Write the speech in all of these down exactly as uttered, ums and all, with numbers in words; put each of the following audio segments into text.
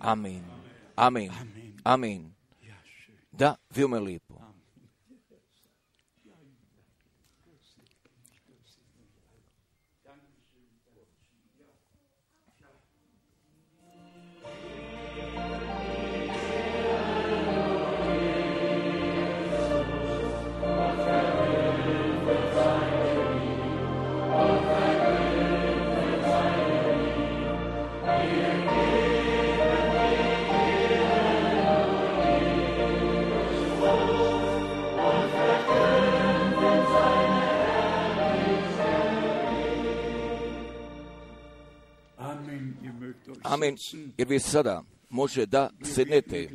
Amin. Amin. Amin. Da, veoma lijepo. Amen, jer vi sada može da sednete,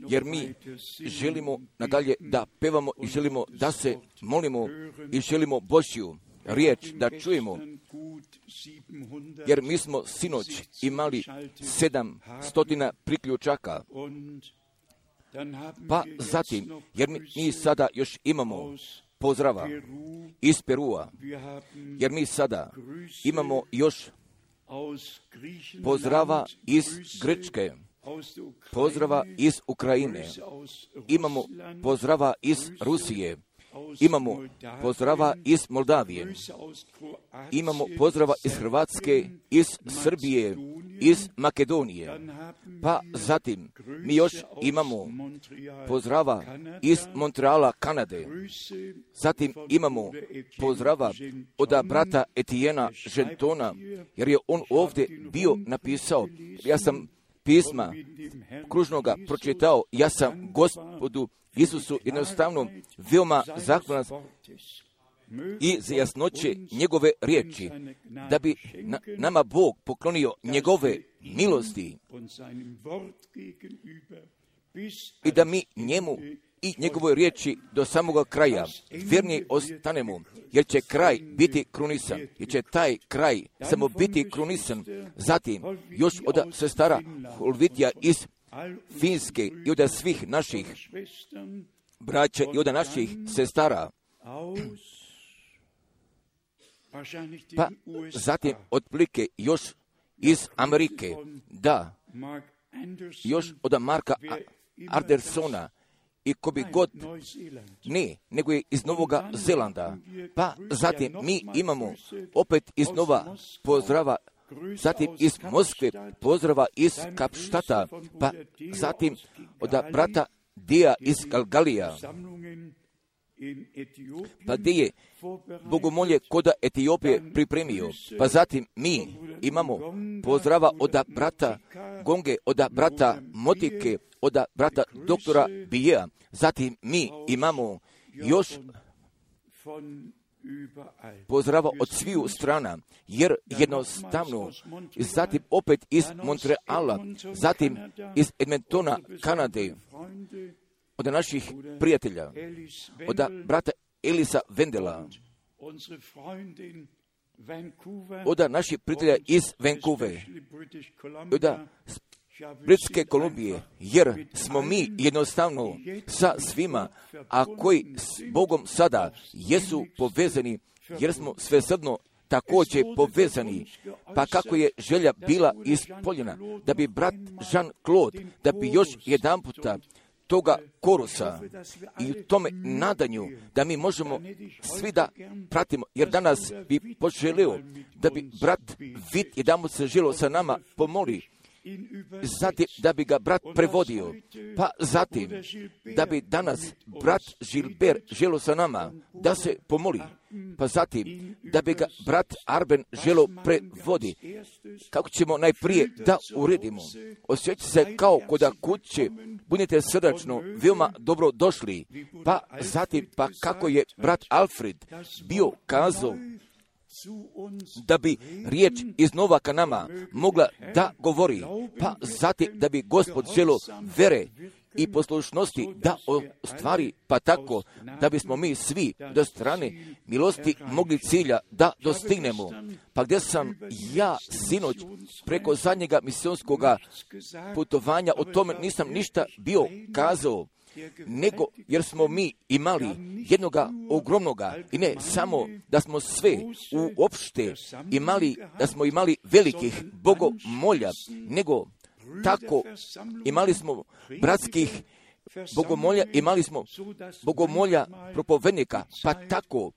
jer mi želimo nadalje da pevamo i želimo da se molimo i želimo Božju riječ da čujemo, jer mi smo sinoć imali sedam stotina priključaka, pa zatim, jer mi, mi sada još imamo pozdrava iz Perua, jer mi sada imamo još pozdrava iz Grčke, pozdrava iz Ukrajine, imamo pozdrava iz Rusije, imamo pozdrava iz Moldavije, imamo pozdrava iz Hrvatske, iz Srbije, iz Makedonije, pa zatim mi još imamo pozdrava iz Montreala, Kanade, zatim imamo pozdrava od brata Etijena Žentona, jer je on ovdje bio napisao, ja sam pisma kružnoga pročitao, ja sam Gospodu Isusu jednostavno veoma zahvalan i za jasnoće njegove riječi, da bi na, nama Bog poklonio njegove milosti i da mi njemu i njegovoj riječi do samoga kraja vjerni ostanemo, jer će kraj biti krunisan, jer će taj kraj samo biti krunisan. Zatim, još od sestara Holvitija iz Finske i od svih naših braća i od naših sestara, pa zatim otprilike još iz Amerike, da, još od Marka Andersona i ko bi god, ne, nego je iz Novoga Zelanda, pa zatim mi imamo opet iz Nova pozdrava, zatim iz Moskve pozdrava iz Kapštata, pa zatim od brata Dija iz Galgalija, pa gdje je bogomolje kod Etiopije pripremio, pa zatim mi imamo pozdrava od brata Gonge, od brata Motike, od brata doktora Bijeja, zatim mi imamo još pozdrava od sviju strana, jer jednostavno, zatim opet iz Montreala, zatim iz Edmontona, Kanade, od naših prijatelja, od brata Elisa Vendela, od naših prijatelja iz Vancouvera, od Britske Kolumbije, jer smo mi jednostavno sa svima, a koji s Bogom sada jesu povezani, jer smo svesrdno također povezani, pa kako je želja bila ispoljena, da bi brat Jean-Claude, da bi još jedan puta toga korusa i u tome nadanju da mi možemo svi da pratimo, jer danas bi poželio da bi brat Vid jedan se želio sa nama pomoli, zatim da bi ga brat prevodio, pa zatim da bi danas brat Gilbert želio sa nama da se pomoli, pa zatim da bi ga brat Arben želio prevodi. Kako ćemo najprije da uredimo? Osjećajte se kao kod kuće, budite srdačno, veoma dobro došli, pa zatim pa kako je brat Alfred bio kazao da bi riječ iznova ka nama mogla da govori, pa zatim da bi Gospod želio vere i poslušnosti da ostvari, pa tako da bismo mi svi do strane milosti mogli cilja da dostignemo. Pa gdje sam ja sinoć preko zadnjega misionskog putovanja o tome nisam ništa bio kazao, nego jer smo mi imali jednoga ogromnoga, i ne samo da smo sve uopšte imali, da smo imali velikih bogomolja, nego tako imali smo bratskih bogomolja, imali smo bogomolja propovednika, pa tako,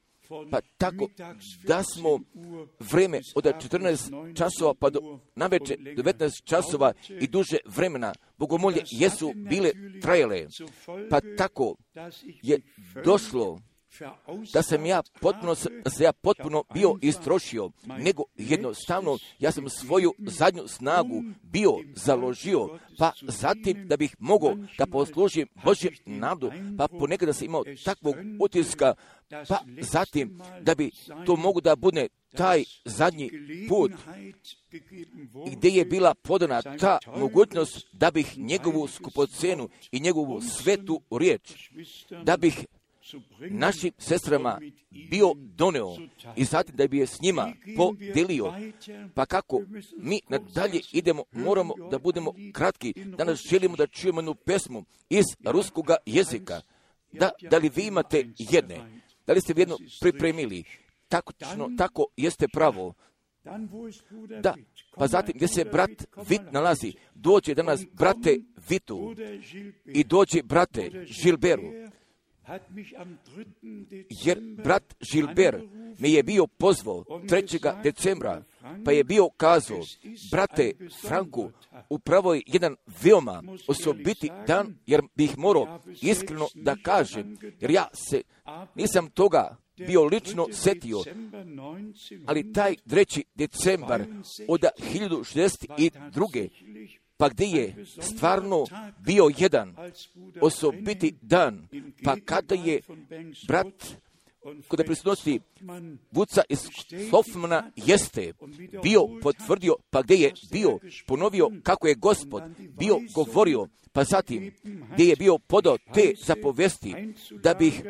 pa tako da smo vreme od četrnaest časova pa do navečer devetnaest časova i duže vremena bogomolje jesu bile trajale, pa tako je došlo da sam ja potpuno, da sam ja potpuno bio istrošio, nego jednostavno ja sam svoju zadnju snagu bio založio, pa zatim da bih mogao da poslužim Božjem narodu, pa ponekad da sam imao takvog utiska, pa zatim da bi to mogu da bude taj zadnji put gdje je bila podana ta mogućnost da bih njegovu skupocenu i njegovu svetu riječ, da bih našim sestrama bio doneo i zatim da bi je s njima podelio. Pa kako mi nadalje idemo, moramo da budemo kratki. Danas želimo da čujemo jednu pesmu iz ruskoga jezika. Da, da li vi imate jedne? Da li ste vi jedno pripremili? Tako, tako jeste pravo. Da, pa zatim gdje se brat Vit nalazi, dođe danas brate Vitu i dođe brate Žilberu. Jer brat Žilber me je bio pozvao trećega decembra, pa je bio kazao, brate Franku, upravo je jedan veoma osobiti dan, jer bih morao iskreno da kažem, jer ja se nisam toga bio lično setio, ali taj treći decembar od hiljadu šezdeset druge pa gdje je stvarno bio jedan osobiti dan, pa kada je brat kod prisutnosti Vuca iz Hoffmana jeste bio potvrdio, pa gdje je bio ponovio kako je Gospod bio govorio, pa zatim gdje je bio podao te zapovesti da bih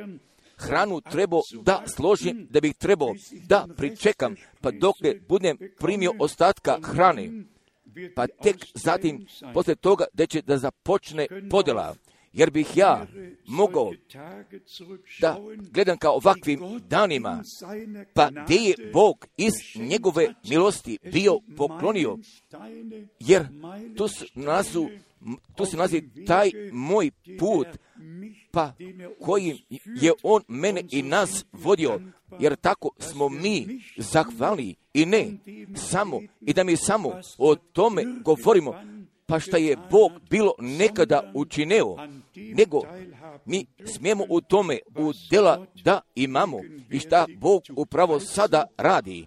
hranu trebao da složim, da bih trebao da pričekam, pa dokle budem primio ostatka hrane, pa tek zatim poslije toga da će da započne podjela. Jer bih ja mogao da gledam kao ovakvim danima, pa gdje je Bog iz njegove milosti bio poklonio, jer tu se nalazi, tu se nalazi taj moj put, pa kojim je on mene i nas vodio, jer tako smo mi zahvalni i ne samo, i da mi samo o tome govorimo, pa šta je Bog bilo nekada učinio, nego mi smijemo u tome udjela da imamo i šta Bog upravo sada radi.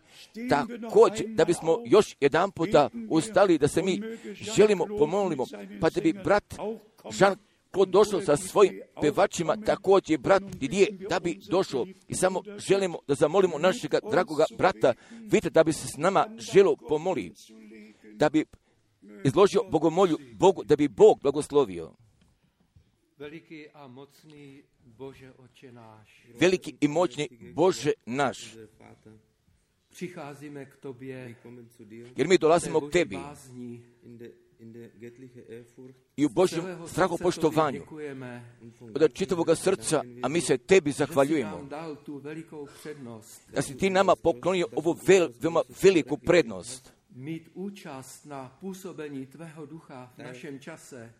Također, da bismo još jedan puta ustali, da se mi želimo pomolimo, pa da bi brat Žan ko došao sa svojim pevačima, također brat Didije, da bi došao i samo želimo da zamolimo našega dragoga brata, vidite da bi se s nama želo pomoli, da bi izložio bogomolju Bogu, da bi Bog blagoslovio. Veliki i moćni Bože naš, jer mi dolazimo k Tebi i u Božjem strahopoštovanju od čitavoga srca, a mi se Tebi zahvaljujemo da si Ti nama poklonio ovu vel, veoma veliku prednost, mít účast na působení tvého ducha v našem čase.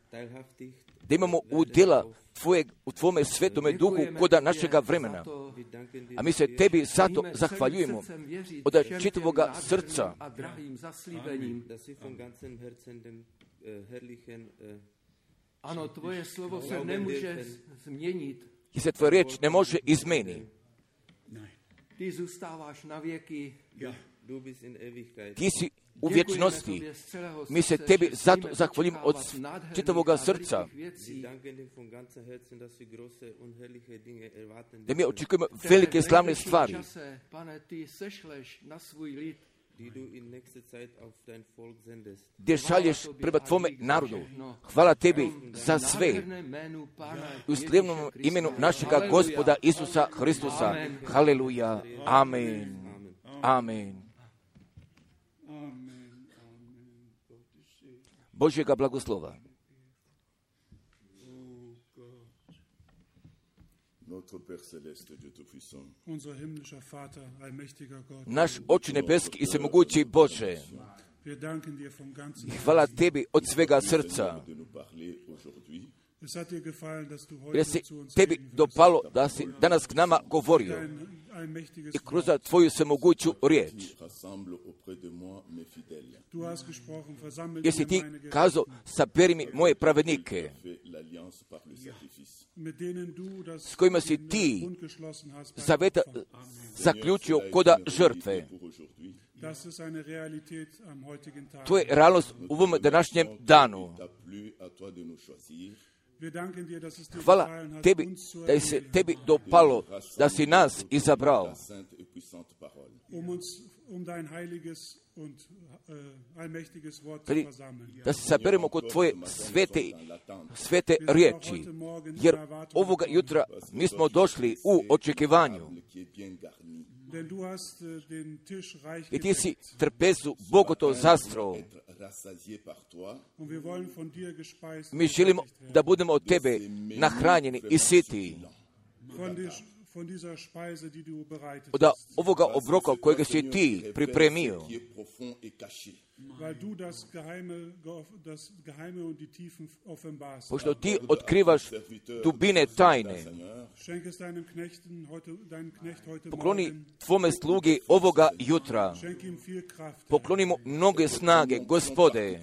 Da imamo udjela tvoje, u tvome svetome duhu koda našega vremena. A mi se Tebi zato zahvaljujemo od čitavoga srca. Ano, tvoje slovo se nemůže změnit. I se tvoja riječ ne može izmeni. Ti zůstáváš na věky. Ti si u vječnosti. Mi se Tebi zato zahvaljujemo od čitavoga srca. Da mi očekujemo velike slavne stvari. Gdje šalješ prema Tvome narodu. Hvala Tebi za sve. U slavnom imenu našega Gospoda Isusa Hristusa. Haleluja. Amen. Amen. Božjega blagoslova. Naš Oče nebeski i svemogući Bože, Hvala tebi od svega srca. Jer si tebi dopalo da si danas k nama govorio i kroz tvoju svemoguću riječ. Jer si ti kazao, saberi mi moje pravednike, s kojima si ti zaveta zaključio koda žrtve. To je realnost u ovom današnjem danu. Hvala tebi da je se tebi dopalo da si nas izabrao da se saberemo kod tvoje svete, svete riječi, jer ovoga jutra mi smo došli u očekivanju. I ti si trpezu bogoto zastrao. Mi želimo da budemo od tebe nahranjeni i siti. Od ovoga obroka kojega si ti pripremio. Pošto ti otkrivaš dubine tajne, pokloni tvome slugi ovoga jutra. Pokloni mu mnoge snage, Gospode,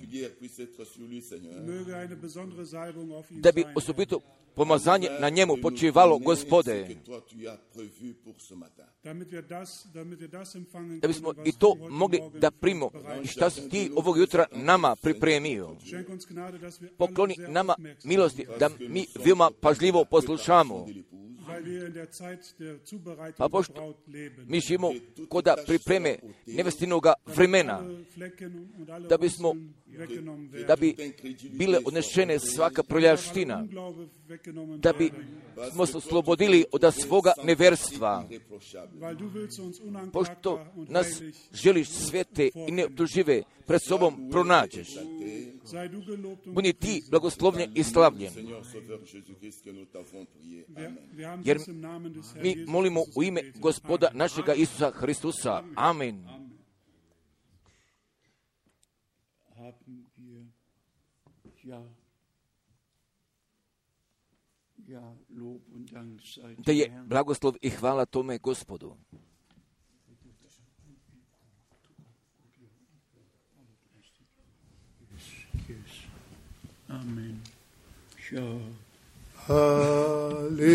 da bi osobito pomazanje na njemu počivalo, Gospode, da bismo i to mogli da primimo i šta si ti ovog jutra nama pripremio. Pokloni nama milosti da mi veoma pažljivo poslušamo. Pa pošto mi živimo koda pripreme nevestinoga vremena, da bismo, da bi bile odnešene svaka proljaština, da bi smo se oslobodili od svoga neverstva, pošto nas želiš svete i neoptužive pred sobom pronađeš. Budi ti blagoslovljen i slavljen. Jer mi molimo u ime Gospoda našega Isusa Hristusa. Amen. Da je blagoslov i hvala tome Gospodu. Amen. Hallelujah.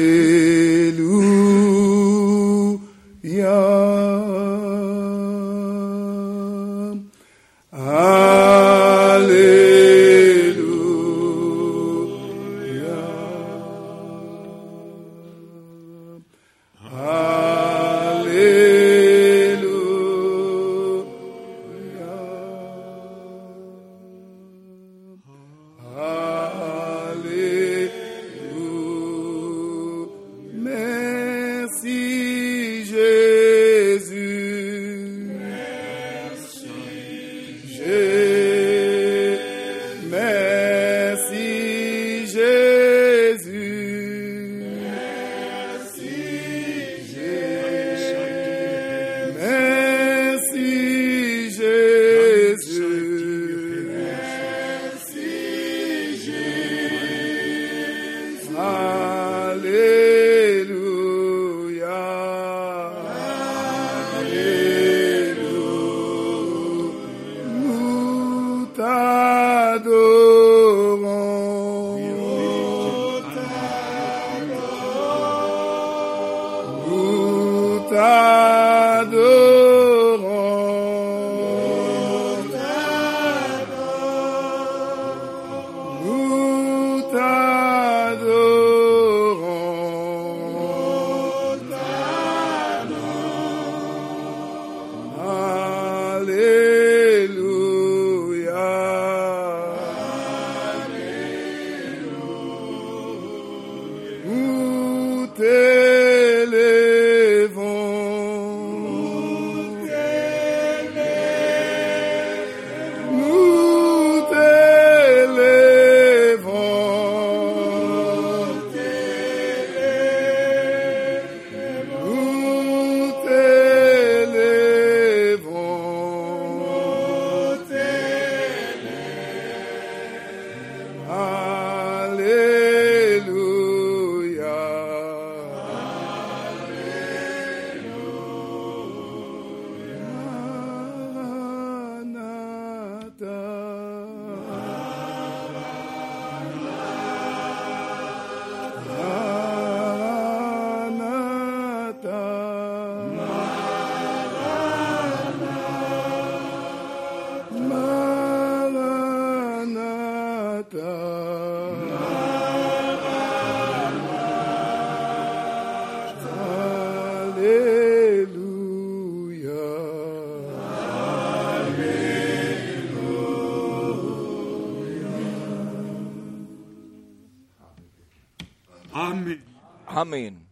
Amen. Amen.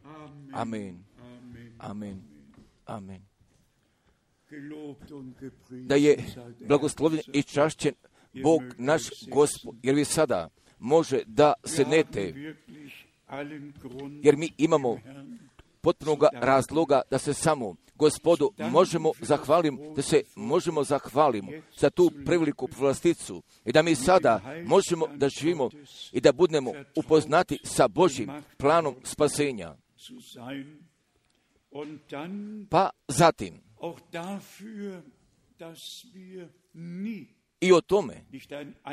Amen. Amen. Amen. Da je blagoslovljen i čašćen Bog naš Gospod, jer vi sada može da sednete, jer mi imamo potpunog razloga da se samo Gospodu možemo zahvaliti, da se možemo zahvaliti za tu preveliku povlasticu i da mi sada možemo da živimo i da budemo upoznati sa Božjim planom spasenja. Pa zatim, i o tome,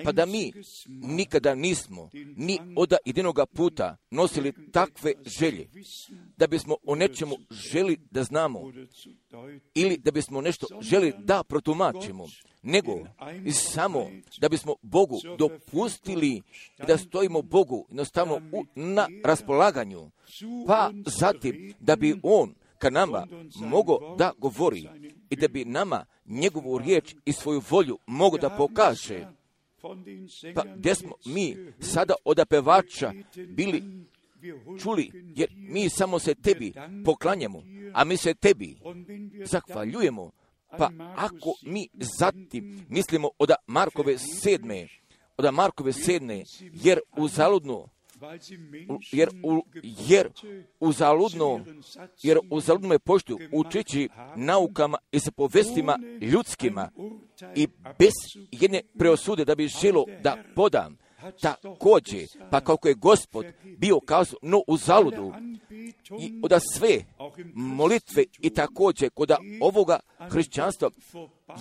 pa da mi nikada nismo ni od jedinoga puta nosili takve želje, da bismo o nečemu želi da znamo ili da bismo nešto želi da protumačimo, nego samo da bismo Bogu dopustili da stojimo Bogu jednostavno u, na raspolaganju, pa zatim da bi On ka nama mogao da govori i da bi nama njegovu riječ i svoju volju mogo da pokaže. Pa gdje smo mi sada od pevača bili čuli, jer mi samo se tebi poklanjamo, a mi se tebi zahvaljujemo. Pa ako mi zatim mislimo od Markove sedme, od Markove sedme, jer uzaludno Jer, u, jer uzaludno, jer uzaludno me poštuju učeći naukama i sa povestima ljudskima i bez jedne preosude da bi želo da podam također, pa kako je Gospod bio kazao, no uzaludu i oda sve molitve i također kod ovoga hrišćanstva,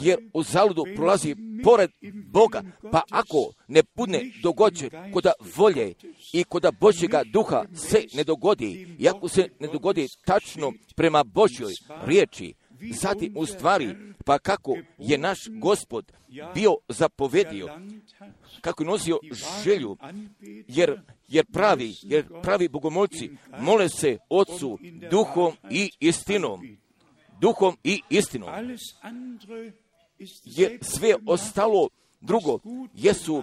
jer uzaludu prolazi pored Boga, pa ako ne budne dogođe kod volje i kod Božjega duha se ne dogodi, i ako se ne dogodi tačno prema Božjoj riječi, zatim u stvari, pa kako je naš Gospod bio zapovedio, kako je nosio želju, jer, jer pravi, jer pravi bogomolci mole se Otcu duhom i istinom. Duhom i istinom. Je sve ostalo drugo, jesu,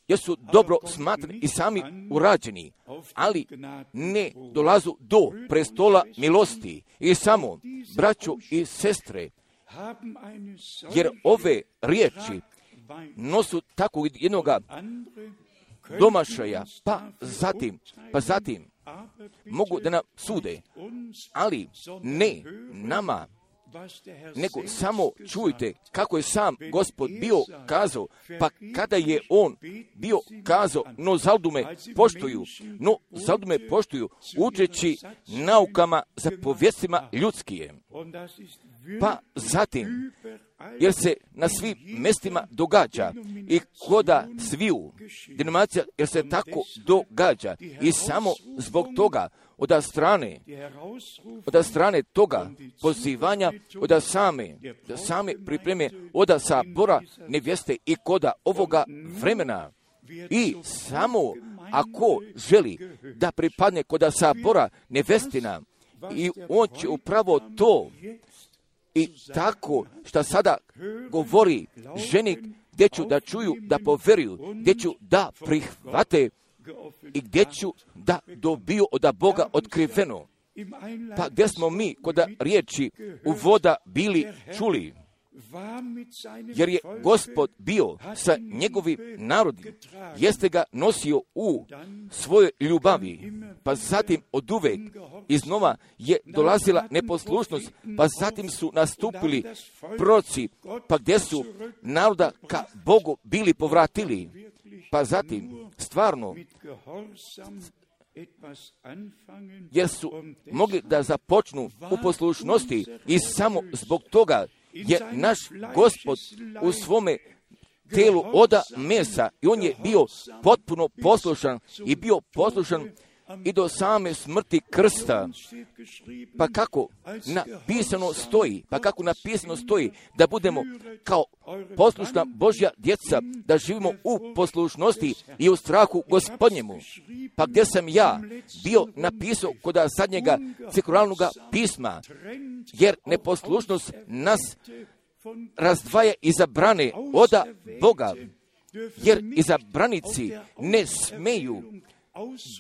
jesu dobro smatrani i sami urađeni, ali ne dolazu do prestola milosti. I samo, braćo i sestre, jer ove riječi nosu tako jednoga domašaja, pa zatim, pa zatim mogu da nam sude, ali ne nama, nego samo čujte kako je sam Gospod bio kazao, pa kada je On bio kazao, no zaldu me poštuju, no zaldu me poštuju, učeći naukama za povjestima ljudskije. Pa zatim, jer se na svim mjestima događa i koda sviju denominacija, jer se tako događa i samo zbog toga od strane, od strane toga pozivanja, od same, same pripreme, od sabora nevjeste i koda ovoga vremena. I samo ako želi da pripadne koda sabora nevjestina, i on će upravo to i tako što sada govori ženi, gdje ću da čuju, da poveruju, gdje ću da prihvate i gdje ću da dobiju od Boga otkriveno. Pa gdje smo mi kod riječi uvoda bili čuli? Jer je Gospod bio sa njegovim narodom, jeste ga nosio u svojoj ljubavi, pa zatim oduvek iznova je dolazila neposlušnost, pa zatim su nastupili proroci, pa gdje su naroda ka Bogu bili povratili, pa zatim stvarno, jer su mogli da započnu u poslušnosti i samo zbog toga je naš Gospod u svome telu oda mesa i on je bio potpuno poslušan i bio poslušan i do same smrti krsta. Pa kako napisano stoji, pa kako napisano stoji da budemo kao poslušna Božja djeca, da živimo u poslušnosti i u strahu Gospodnjemu. Pa gdje sam ja bio napisao kod zadnjega sekularnog pisma, jer neposlušnost nas razdvaja i zabrane oda Boga, jer izabranici ne smeju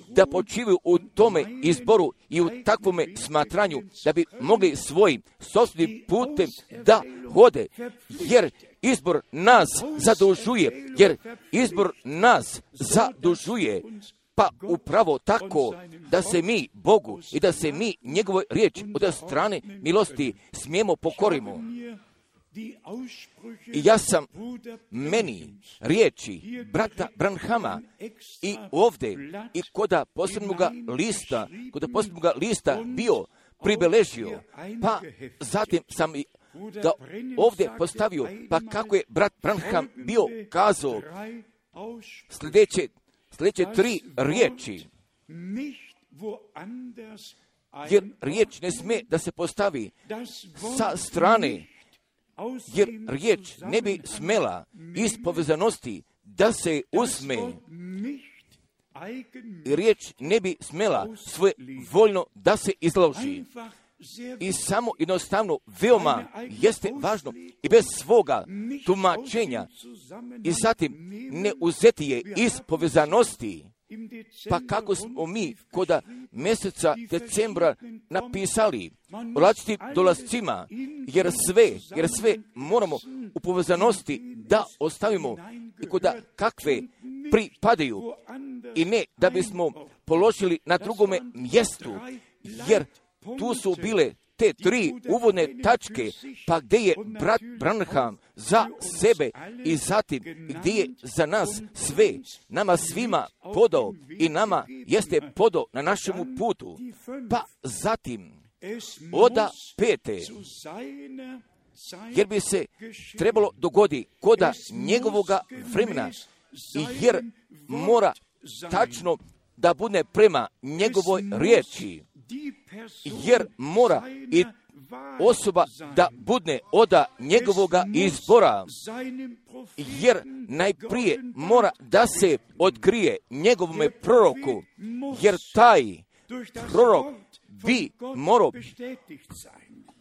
da počivaju u tome izboru i u takvome smatranju da bi mogli svojim sopstvenim putem da hode, jer izbor nas zadužuje, jer izbor nas zadužuje, pa upravo tako da se mi Bogu i da se mi njegovoj riječi od strane milosti smijemo pokorimo. I ja sam meni riječi brata Branhama i ovdje i koda posebnoga lista, koda posebnoga lista bio pribeležio, pa zatim sam ga ovdje postavio, pa kako je brat Branham bio kazao sljedeće, sljedeće tri riječi, jer riječ ne smije da se postavi sa strane, jer riječ ne bi smela iz povezanosti da se usme. Riječ ne bi smela svoje voljno da se izloži. I samo jednostavno veoma jeste važno i bez svoga tumačenja i zatim ne uzeti je iz povezanosti. Pa kako smo mi koda mjeseca decembra napisali o različitim dolascima, jer sve, jer sve moramo u povezanosti da ostavimo i koda kakve pripadaju i ne da bismo položili na drugome mjestu, jer tu su bile te tri uvodne tačke, pa gdje je brat Branham za sebe i zatim gdje je za nas sve, nama svima podao i nama jeste podao na našemu putu, pa zatim oda pete, jer bi se trebalo dogodi koda njegovoga vremena, jer mora tačno da bude prema njegovoj riječi, jer mora i osoba da budne oda njegovoga izbora, jer najprije mora da se otkrije njegovome proroku, jer taj prorok bi morao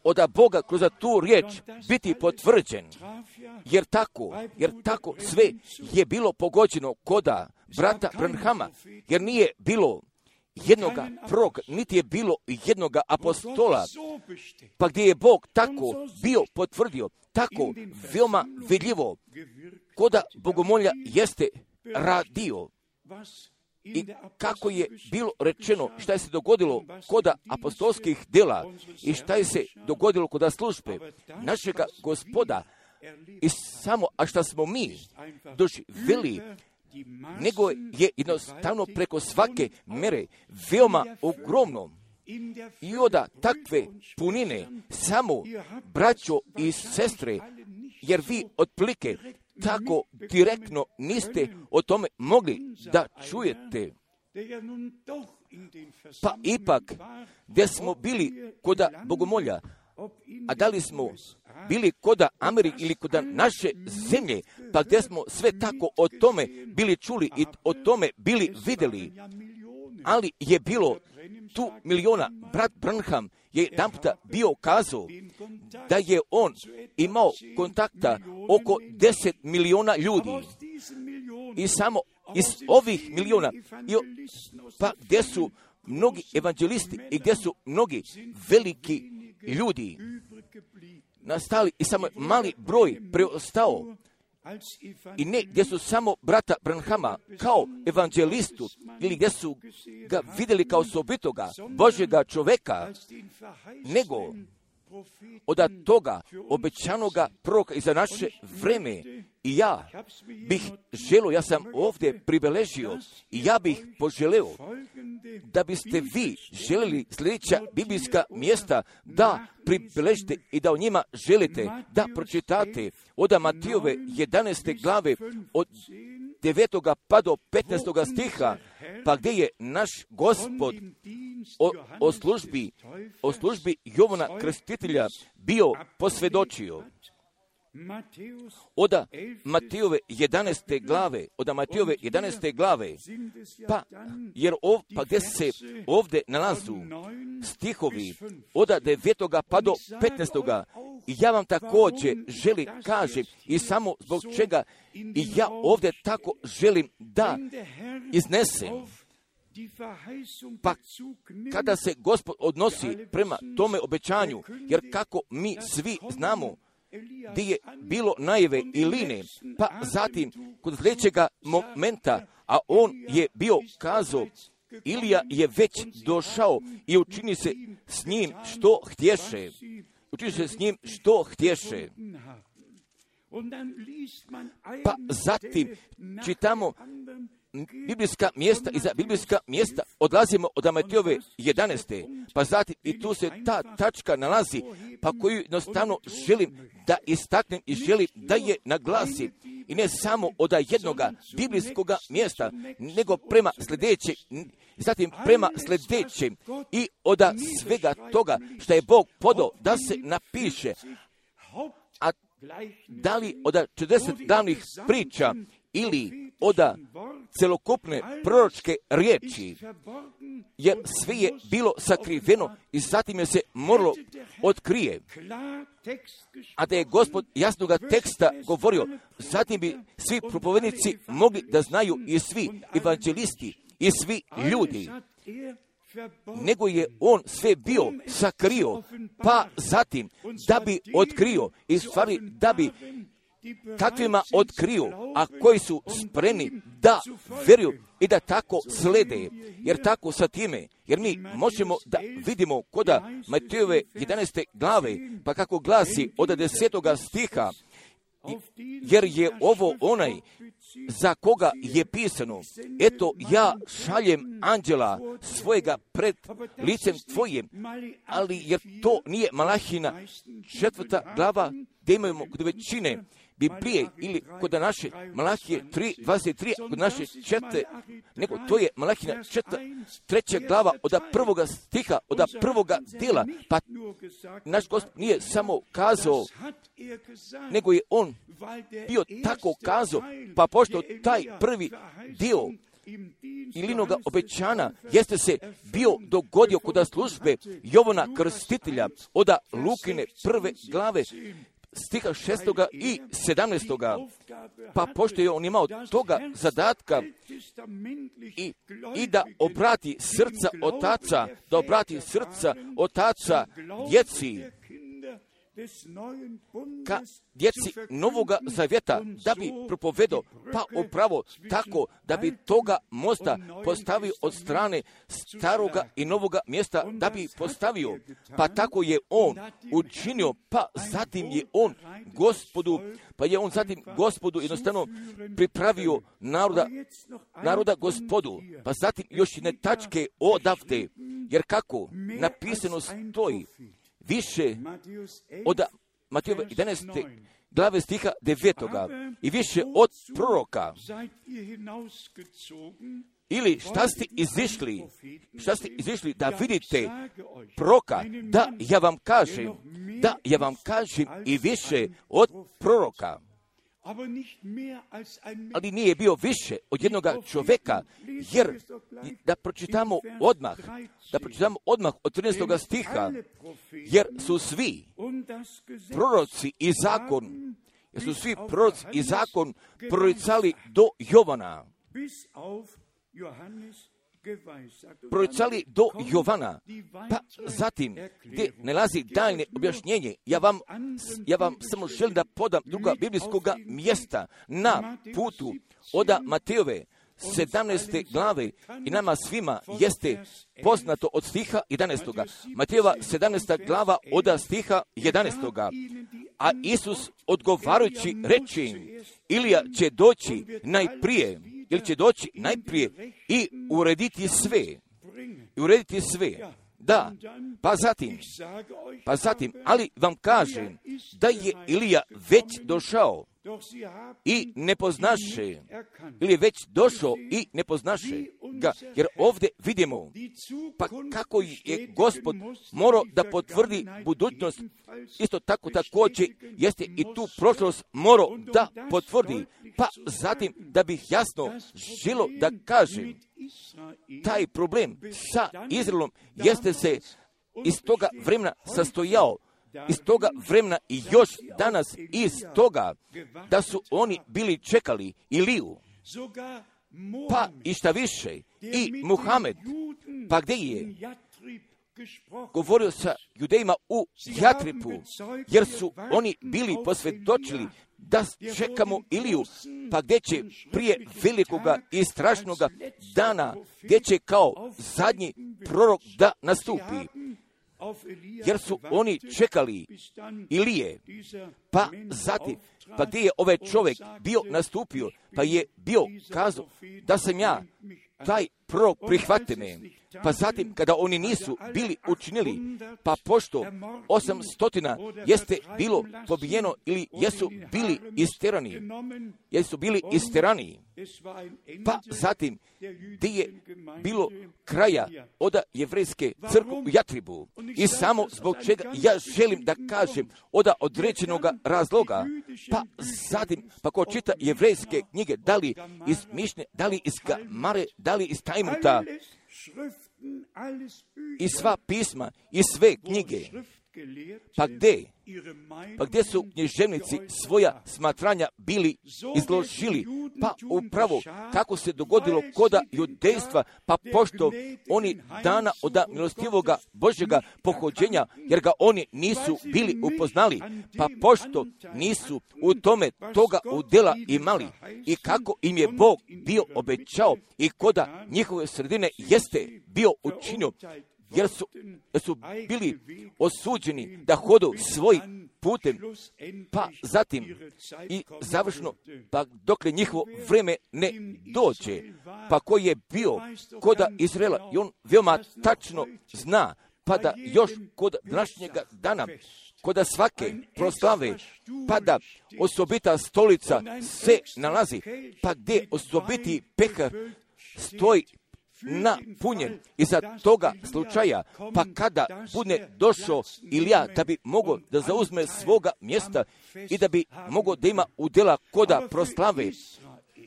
od Boga kroz tu riječ biti potvrđen, jer tako, jer tako sve je bilo pogođeno koda brata Branhama, jer nije bilo jednoga proroka, niti je bilo jednoga apostola, pa gdje je Bog tako bio potvrdio, tako veoma vidljivo, koda bogomolja jeste radio. I kako je bilo rečeno, šta je se dogodilo koda apostolskih dela i šta je se dogodilo koda službe našega Gospoda, i samo, a šta smo mi doživjeli, nego je jednostavno preko svake mere veoma ogromno. I onda takve punine samo braćo i sestre, jer vi otprilike tako direktno niste o tome mogli da čujete. Pa ipak, gdje smo bili koda bogomolja, a da li smo bili koda Amerike ili koda naše zemlje, pa gdje smo sve tako o tome bili čuli i o tome bili vidjeli, ali je bilo tu miliona. Brat Branham je jedanputa bio kazao da je on imao kontakta oko deset miliona ljudi. I samo iz ovih miliona, pa gdje su mnogi evanđelisti i gdje su mnogi veliki ljudi nastali i samo mali broj preostao. I ne gdje su samo brata Branhama kao evanđelistu ili gdje su ga vidjeli kao osobitoga Božjega čoveka, nego od toga obećanoga proroka i za naše vreme. I ja bih želio, ja sam ovdje pribeležio i ja bih poželeo da biste vi željeli sljedeća biblijska mjesta da pribeležite i da o njima želite da pročitate od Matijove jedanaeste glave od devetoga pa do petnaestoga stiha, pa gdje je naš Gospod o, o službi, o službi Jovana Krstitelja bio posvjedočio. Oda Matejove jedanaeste glave, oda Matejove jedanaeste glave, pa, jer ov, pa gdje se ovdje nalazu stihovi oda devetoga pa do petnaestoga, i ja vam također želim kažem i samo zbog čega i ja ovdje tako želim da iznesem. Pa kada se Gospod odnosi prema tome obećanju, jer kako mi svi znamo gdje je bilo najave Iline, pa zatim kod sljedećega momenta, a on je bio kazao, Ilija je već došao i učini se s njim što htješe. Učini se s njim što htješe. Pa zatim čitamo biblijska mjesta i za biblijska mjesta odlazimo od Matejove jedanaeste. Pa zatim i tu se ta tačka nalazi, pa koju jednostavno želim da istaknem i želim da je naglasim. I ne samo od jednoga biblijskoga mjesta, nego prema sljedećeg, zatim prema sljedećem i od svega toga što je Bog podao da se napiše. A da li od četrdeset glavnih priča ili od celokupne proročke riječi, jer sve je bilo sakriveno i zatim je se moralo otkrije. A da je Gospod jasnoga teksta govorio, zatim bi svi propovednici mogli da znaju i svi evanđelisti i svi ljudi. Nego je on sve bio sakrio, pa zatim da bi otkrio i stvari da bi takvima otkrio, a koji su spremni da vjeruju i da tako slede, jer tako sa time, jer mi možemo da vidimo koda Matejove jedanaeste glave, pa kako glasi od desetoga stiha, jer je ovo onaj za koga je pisano, eto ja šaljem anđela svojega pred licem tvojim, ali jer to nije Malahina četvrta glava, gdje imamo kod većine Biblije ili kod naše Malahije tri dvadeset tri, kod naše četvrte, nego to je Malahina četvrta, treća glava od prvoga stiha, od prvoga djela, pa naš Gospod nije samo kazao, nego je on bio tako kazao, pa pošto taj prvi dio Ilinoga obećana jeste se bio dogodio kod službe Jovana Krstitelja od Lukine prve glave, stiha šestoga i sedamnaestoga, pa pošto je on imao toga zadatka i, i da obrati srca otaca, da obrati srca otaca djeci, ka djeci Novoga Zavjeta, da bi propovedao, pa upravo tako da bi toga mosta postavio od strane staroga i novoga mjesta, da bi postavio, pa tako je on učinio, pa zatim je on Gospodu, pa je on zatim Gospodu jednostavno pripravio naroda, naroda Gospodu, pa zatim još jedne tačke odavde, jer kako napisano stoji, više od Matejove jedanaeste glave stiha devetoga i više od proroka. Ili šta ste izišli, šta ste izišli da vidite proroka, da ja vam kažem, da ja vam kažem i više od proroka. Ali nije bio više od jednoga čovjeka, jer da pročitamo odmah, da pročitamo odmah od trinaestoga stiha, jer su svi proroci i zakon, jer su svi proroci i zakon proricali do Jovana. Proricali do Jovana, pa zatim gdje nalazi daljne objašnjenje, ja vam, ja vam samo želim da podam druga biblijskoga mjesta na putu od Matejove sedamnaeste glave i nama svima jeste poznato od stiha jedanaestoga. Matejova sedamnaesta glava od stiha jedanaestoga. A Isus odgovarajući reče im, Ilija će doći najprije, ili će doći najprije i urediti sve. I urediti sve. Da, pa zatim, pa zatim, ali vam kažem da je Ilija već došao i ne poznaše, ili je već došao i ne poznaše. ga, jer ovdje vidimo, pa kako je Gospod morao da potvrdi budućnost, isto tako također jeste i tu prošlost morao da potvrdi, pa zatim da bih jasno želo da kažem, taj problem sa Izraelom jeste se iz toga vremena sastojao, iz toga vremena i još danas iz toga da su oni bili čekali Iliju, pa i šta više, i Muhamed, pa gdje je govorio sa Judejima u Jatripu, jer su oni bili posvjedočili da čekamo Iliju, pa gdje će prije velikoga i strašnoga dana, gdje će kao zadnji prorok da nastupi, jer su oni čekali Ilije, pa zatim, pa gdje je ovaj čovjek bio nastupio, pa je bio kazao da sam ja, taj prorok prihvate me, pa zatim kada oni nisu bili učinili, pa pošto osamstotina jeste bilo pobijeno ili jesu bili isterani, jesu bili isterani, pa zatim gdje je bilo kraja od jevrejske crkve u Jatribu, i samo zbog čega ja želim da kažem od određenog razloga, pa zatim pa ko čita jevrejske knjige, da li iz Mišne, da li iz Gamare, da li iz Tajmuta, i sva pisma i sve knjige, pa gdje, pa gdje su književnici svoja smatranja bili izložili, pa upravo kako se dogodilo koda judejstva, pa pošto oni dana od milostivoga Božjega pohođenja, jer ga oni nisu bili upoznali, pa pošto nisu u tome toga udjela imali, i kako im je Bog bio obećao i koda njihove sredine jeste bio učinio, jer su, jer su bili osuđeni da hodu svojim putem, pa zatim i završno, pa dokle njihovo vrijeme ne dođe, pa koji je bio koda Izraela, i on veoma tačno zna, pa da još kod današnjega dana, koda svake proslave, pa da osobita stolica se nalazi, pa gdje osobiti pehar stoji napunjen iza toga slučaja, pa kada bude došao Ilija da bi mogao da zauzme svoga mjesta i da bi mogao da ima udjela koda proslave,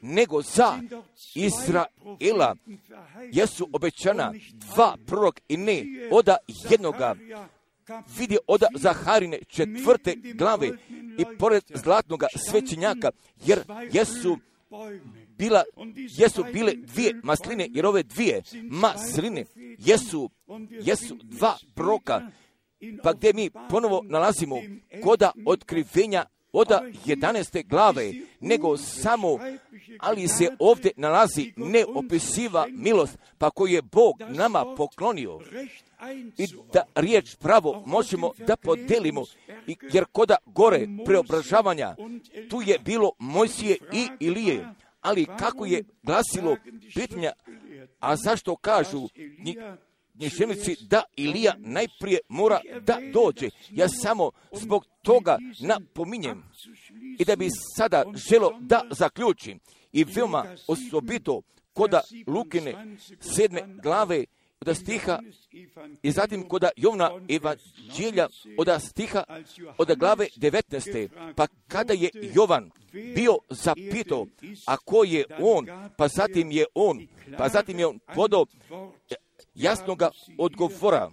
nego za Izraela jesu obećana dva prorok i ne oda jednoga. Vidi oda Zaharine četvrte glave i pored zlatnoga svećenjaka, jer jesu bila, jesu bile dvije masline, jer ove dvije masline jesu, jesu dva proroka, pa gdje mi ponovo nalazimo koda otkrivenja oda jedanaeste glave, nego samo, ali se ovdje nalazi neopisiva milost, pa koju je Bog nama poklonio, i da riječ pravo možemo da podelimo, jer koda gore preobražavanja, tu je bilo Mojsije i Ilije, ali kako je glasilo pitanja, a zašto kažu književnici da Ilija najprije mora da dođe? Ja samo zbog toga napominjem, i da bi sada želo da zaključim, i veoma osobito koda Lukine sedme glave od stiha, i zatim koda Jovna evanđelja od stiha od glave devetnaeste, pa kada je Jovan bio zapitao, a ko je on, pa zatim je on, pa zatim je on podao jasnoga odgovora,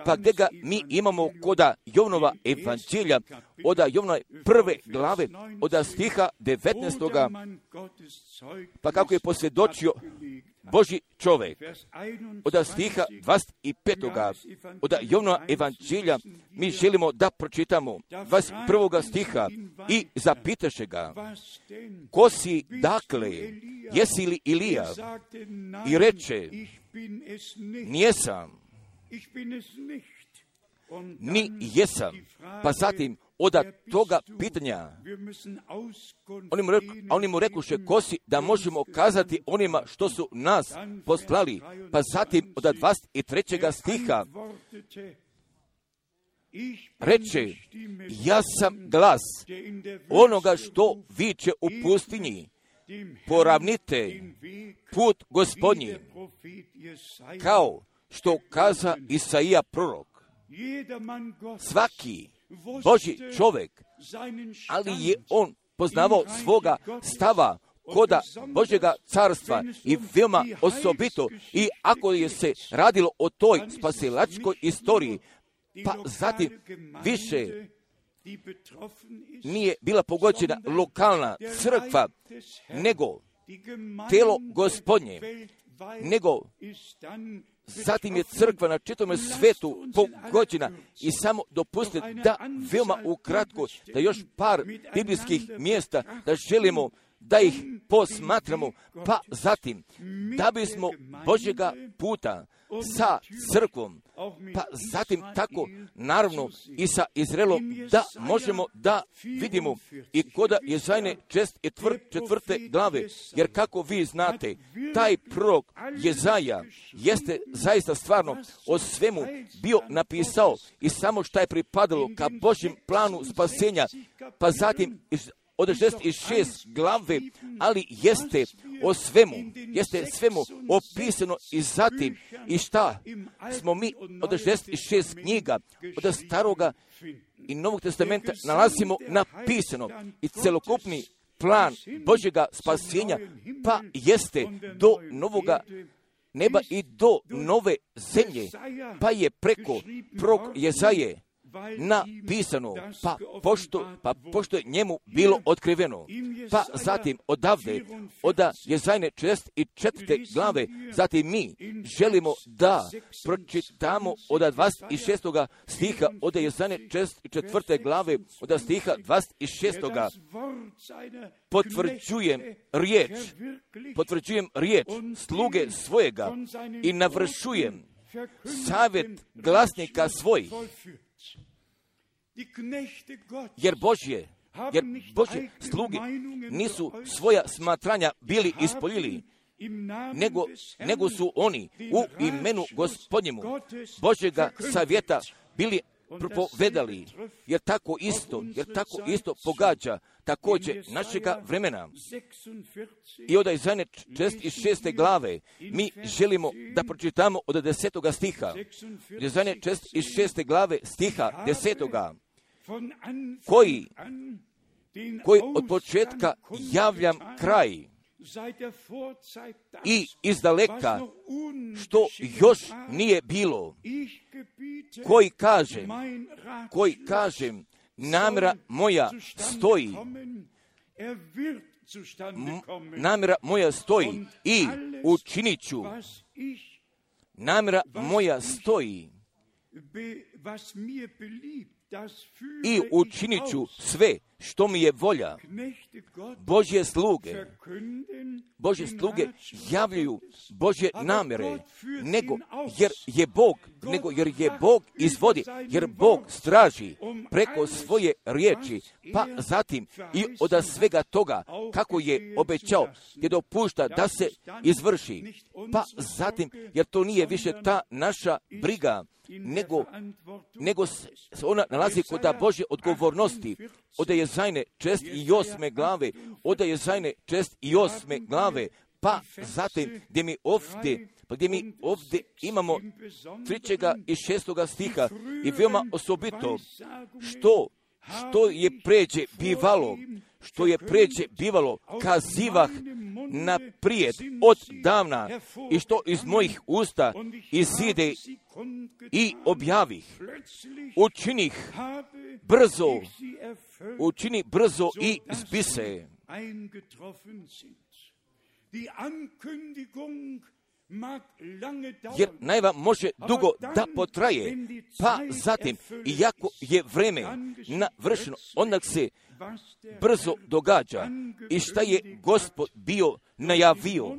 pa gdje ga mi imamo koda Jovnova evanđelja, od Jovnove prve glave, od stiha devetnaestoga, pa kako je posvjedočio Božji čovjek, od stiha dvadeset petoga, od Jovnova evanđelja, mi želimo da pročitamo dvadeset prvog stiha, i zapitaše ga, ko si dakle, jesi li Ilija? I reče, nijesam, ni jesam. Pa zatim, od toga pitanja, oni mu, reku, oni mu rekuše, ko si, da možemo kazati onima što su nas poslali. Pa zatim, od dvadeset trećeg stiha, reče, ja sam glas onoga što viče u pustinji, poravnite put Gospodnji. kao što kaza Isaija prorok. Svaki Božji čovjek, ali je on poznavao svoga stava koda Božjega carstva i veoma osobito, i ako je se radilo o toj spasilačkoj istoriji, pa zatim više nije bila pogođena lokalna crkva, nego telo Gospodnje, nego zatim je crkva na čitavome svetu pogođena. I samo dopustite da veoma ukratko, da još par biblijskih mjesta, da želimo da ih posmatramo, pa zatim da bismo Božjega puta sa crkvom, pa zatim tako naravno i sa Izraelom, da možemo da vidimo i koda Jezajne čest i četvrte glave, jer kako vi znate, taj prorok Jezaja jeste zaista stvarno o svemu bio napisao i samo šta je pripadalo ka Božjem planu spasenja, pa zatim od šezdeset šest glave, ali jeste o svemu, jeste svemu opisano i zatim i šta smo mi od šezdeset šest knjiga od Staroga i Novog testamenta nalazimo napisano i celokupni plan Božjega spasenja, pa jeste do novoga neba i do nove zemlje, pa je preko prorok Jezaje napisano, pa pošto, pa pošto je njemu bilo otkriveno, pa zatim odavde, od Jezajne četrdeset četvrte glave, zatim mi želimo da pročitamo od dvadeset šestoga stiha, od Jezajne četrdeset četvrte glave, od stiha dvadeset šestoga potvrđujem riječ, potvrđujem riječ sluge svojega i navršujem savjet glasnika svojih. Jer Božje, jer Božje sluge nisu svoja smatranja bili ispoljili, nego, nego su oni u imenu Gospodnjemu Božjega savjeta bili propovedali, jer tako isto, jer tako isto pogađa također našega vremena. I od Jezajne četrdeset šeste glave mi želimo da pročitamo od desetoga stiha. Jezajne četrdeset šeste glave stiha desetoga, koji, koji od početka javljam kraj i izdaleka što još nije bilo, koji kažem, koji kažem, namjera moja stoji, M- namjera moja stoji i učinit ću, namjera moja stoji i učinit ću sve što mi je volja. Božje sluge, Božje sluge javljaju Božje namjere, nego jer je Bog, nego jer je Bog izvodi, jer Bog straži preko svoje riječi, pa zatim i od svega toga kako je obećao, je dopušta da se izvrši, pa zatim jer to nije više ta naša briga, nego, nego se ona nalazi kod Božje odgovornosti. Od Jezajne četrdeset osme glave, od Jezajne četrdeset osme glave, pa zatim gdje mi ovdje, pa gdje mi ovdje imamo trećega i šestoga stiha i veoma osobito što, što je pređe bivalo, što je pređe bivalo, kazivah naprijed od davna i što iz mojih usta izide i objavih. Učinih brzo, učini brzo i zbise. Jer najava može dugo da potraje, pa zatim, iako je vreme navršeno, onda se brzo događa i šta je Gospod bio najavio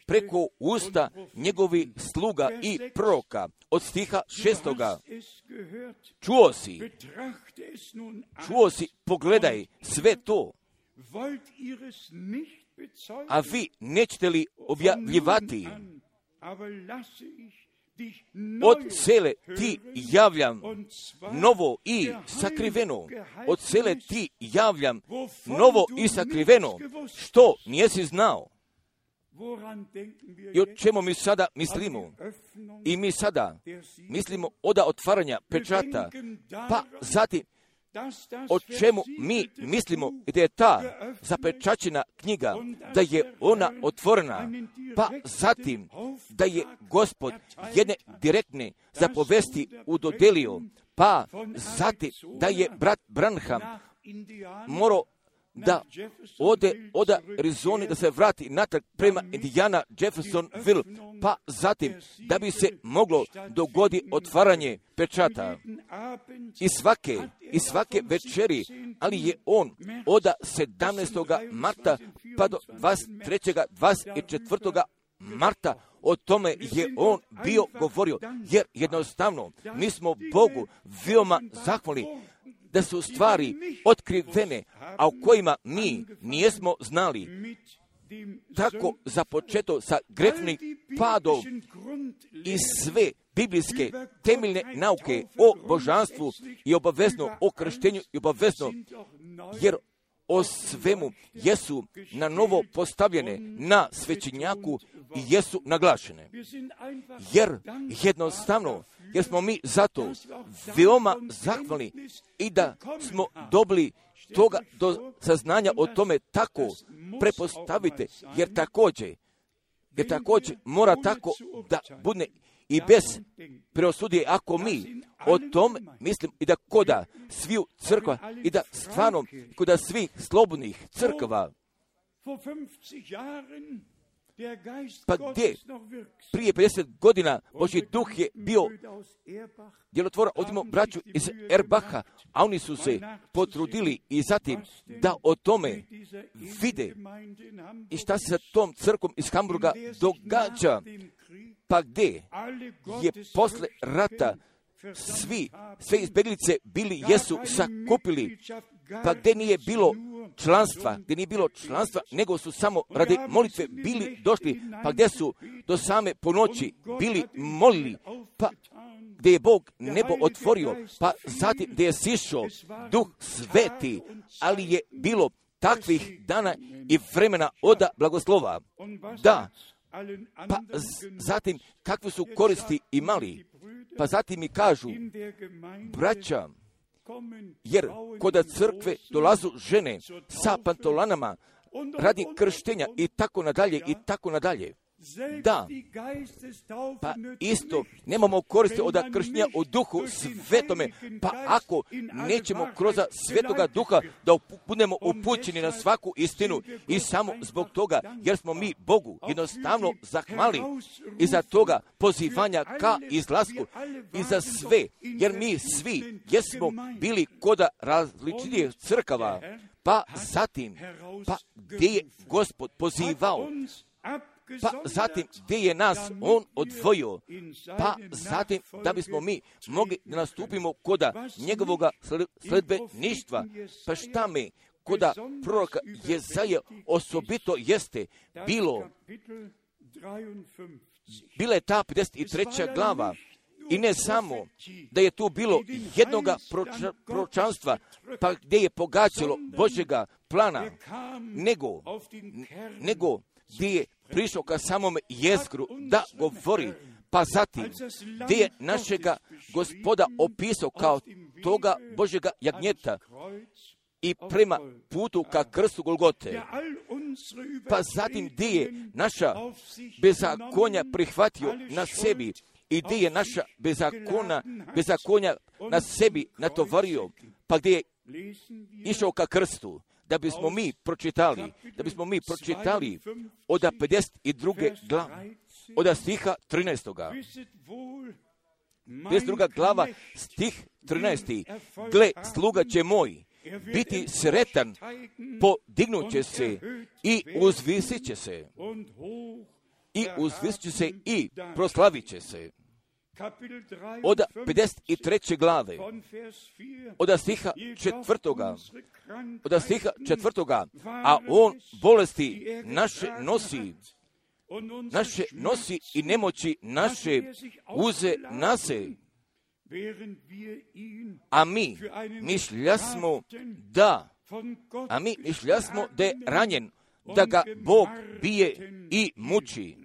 preko usta njegovi sluga i proroka. Od stiha šestoga, čuo si, čuo si, pogledaj sve to, a vi nećete li objavljivati? Od cele ti javljam novo i sakriveno. Od cele ti javljam novo i sakriveno, što nijesi znao. I o čemu mi sada mislimo? I mi sada mislimo od otvaranja pečata, pa zatim o čemu mi mislimo da je ta zapečaćena knjiga, da je ona otvorena, pa zatim da je Gospod jedne direktne zapovesti udodelio, pa zatim da je brat Branham morao da ode od Arizone, da se vrati natrag prema Indiana Jeffersonville, pa zatim da bi se moglo dogodi otvaranje pečata. I svake, i svake večeri, ali je on od sedamnaestog marta pa do dvadeset trećeg dvadeset četvrtog marta o tome je on bio govorio, jer jednostavno mi smo Bogu veoma zahvalni da su stvari otkrivene, a o kojima mi nijesmo znali. Tako započeto sa grešnim padom i sve biblijske temeljne nauke o božanstvu i obavezno o krštenju i obavezno, jer o svemu jesu na novo postavljene na svećenjaku i jesu naglašene. Jer jednostavno, jer smo mi zato veoma zahvalni i da smo dobili toga do saznanja o tome tako prepostavite, jer također, jer također mora tako da bude i bez preosudije, ako mi o tom mislim i da koda sviju crkva i da stvarno koda svih slobodnih crkva, pa gdje prije pedeset godina Božji duh je bio djelotvoran, odimo braću iz Erbaha, a oni su se potrudili i zatim da o tome vide i šta se sa tom crkvom iz Hamburga događa, pa gdje je posle rata svi, sve izbjeglice bili, jesu sakupili, pa gdje nije bilo članstva, gdje nije bilo članstva, nego su samo radi molitve bili došli, pa gdje su do same ponoći bili molili, pa gdje je Bog nebo otvorio, pa zatim gdje je sišao Duh Sveti, ali je bilo takvih dana i vremena od blagoslova. Da, pa zatim kakve su koristi imali, pa zatim mi kažu, braća, jer kod crkve dolazu žene sa pantolanama radi krštenja i tako nadalje i tako nadalje. Da, pa isto nemamo koristi od krštenja u duhu svetome, pa ako nećemo kroz svetoga duha da budemo upućeni na svaku istinu i samo zbog toga, jer smo mi Bogu jednostavno zahvali i za toga pozivanja ka izlasku i za sve, jer mi svi jesmo bili kod različitih crkava, pa zatim, pa gdje je Gospod pozivao, pa zatim gdje je nas on odvojio, pa zatim da bismo mi mogli da nastupimo koda njegovoga sledbeništva. Pa šta mi koda proroka Jezaja osobito jeste bilo, bila je ta pedeset treća glava, i ne samo da je tu bilo jednoga proča, proročanstva, pa gdje je pogađalo Božjega plana, nego, nego gdje je prišao ka samome jezgru da govori, pa zatim gdje je našega Gospoda opisao kao toga Božjega jagnjeta i prema putu ka krstu Golgote, pa zatim gdje je naša bezakonja prihvatio na sebi i gdje je naša bezakona, bezakonja na sebi natovario, pa gdje je išao ka krstu, da bismo mi pročitali, da bismo mi pročitali od pedeset druge glave, od stiha trinaestog. pedeset druga glava, stih trinaesti. Gle, sluga će moj biti sretan, podignut će se i uzvisit će se. I uzvisit će se i proslavit će se. Od pedeset treće glave, od stiha četvrtoga, od stiha četvrtoga, a on bolesti naše nosi, naše nosi i nemoći naše uze nase, a mi mišljasmo da, a mi mišljasmo da je ranjen da ga Bog bije i muči.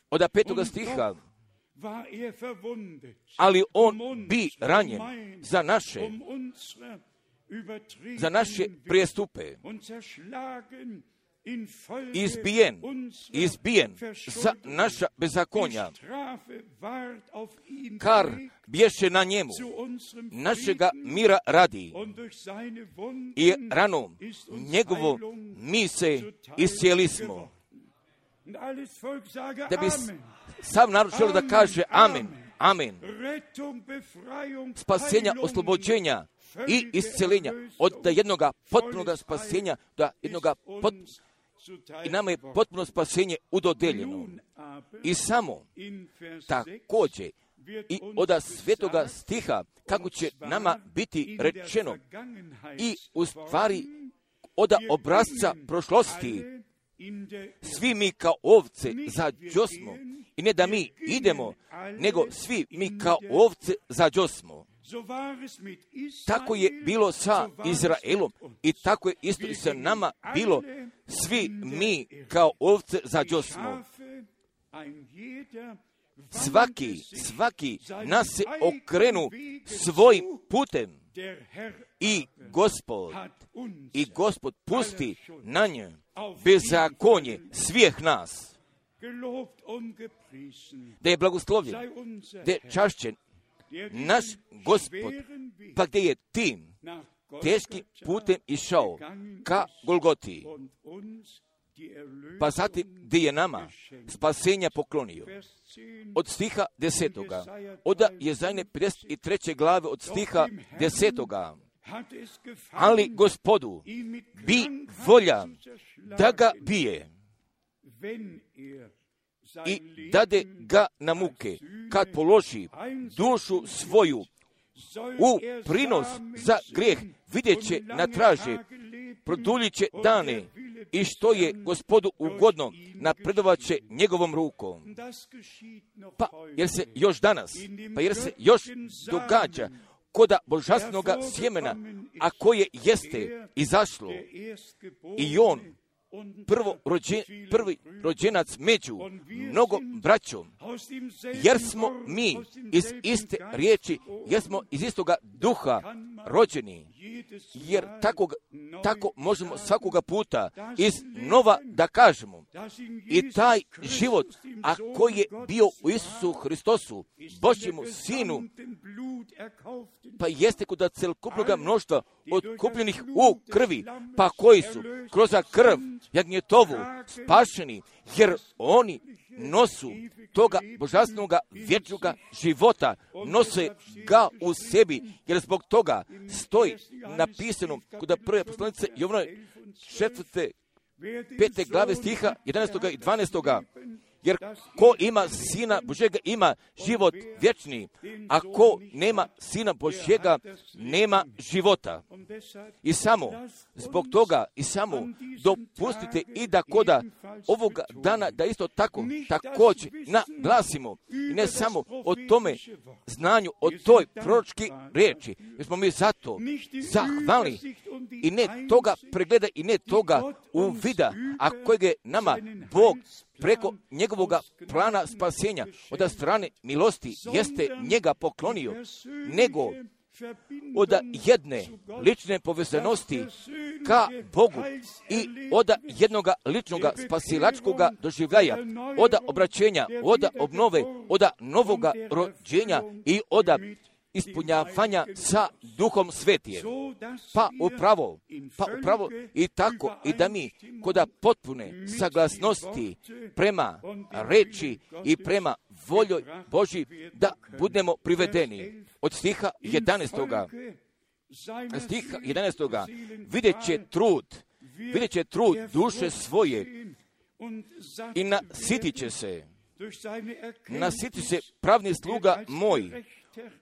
Od petoga stiha, ali on bi ranjen za naše, za naše prijestupe, izbijen, izbijen za naša bezakonja, kar bješe na njemu, našega mira radi, i ranom njegovo mi se iscijeli smo. Da bi sav narod želio da kaže amen, amen. Spasenja, oslobođenja i isceljenja od jednoga potpunoga spasenja do jednoga potpunoga, i nama je potpuno spasenje udodeljeno. I samo također i od svetoga stiha kako će nama biti rečeno i u stvari od obrazca prošlosti svi mi kao ovce zađosmo, i ne da mi idemo, nego svi mi kao ovce zađosmo. Tako je bilo sa Izraelom i tako je isto i sa nama bilo. Svi mi kao ovce zađosmo. Svaki, svaki nas se okrenu svojim putem i Gospod, i Gospod pusti na nje bezakonje svih nas. Da je blagoslovljen, da je čašćen naš Gospod, pa gdje je tim teškim putem išao ka Golgoti, pa zatim gdje je nama spasenja poklonio. Od stiha desetoga, od Jezajne pedeset treće glave od stiha desetoga, ali Gospodu bi volja da ga bije i dade ga na muke, kad položi dušu svoju u prinos za grijeh, vidjet će na traže, produljit će dane, i što je Gospodu ugodno, napredovat će njegovom rukom. Pa jer se još danas, pa jer se još događa koda božanstvenoga sjemena, a koje jeste izašlo, i on prvo rođen, prvi rođenac među mnogom braćom, jer smo mi iz iste riječi, jer smo iz istoga duha rođeni, jer tako, tako možemo svakoga puta iz nova da kažemo. I taj život, a koji je bio u Isusu Hristosu, Božjemu Sinu, pa jeste kod celokupnoga mnoštva otkupljenih u krvi, pa koji su kroz krv jagnjetovu spašeni, jer oni nosu toga božanstvenoga vječnoga života, nose ga u sebi, jer zbog toga stoji napisano kod prve poslanice Jovanovi četvrte, pete glave stiha jedanaestoga i dvanaestoga. Jer ko ima Sina Božjega ima život vječni, a ko nema Sina Božjega nema života. I samo zbog toga, i samo dopustite i da koda ovoga dana da isto tako također naglasimo, i ne samo o tome znanju, o toj proročki riječi, jer smo mi zato zahvalni, i ne toga pregleda i ne toga uvida, a kojeg je nama Bog preko njegovoga plana spasenja od strane milosti jeste njega poklonio, nego od jedne lične povezanosti ka Bogu i od jednoga ličnoga spasilačkoga doživljaja, od obraćenja, od obnove, od novoga rođenja i od ispunjavanja sa Duhom Svetijem. Pa upravo, pa upravo i tako i da mi koda potpune saglasnosti prema reči i prema voljoj Božji da budemo privedeni. Od stiha jedanaestoga, stiha jedanaestoga vidjet će trud, vidjet će trud duše svoje i nasitit će se, nasitit se pravni sluga moj,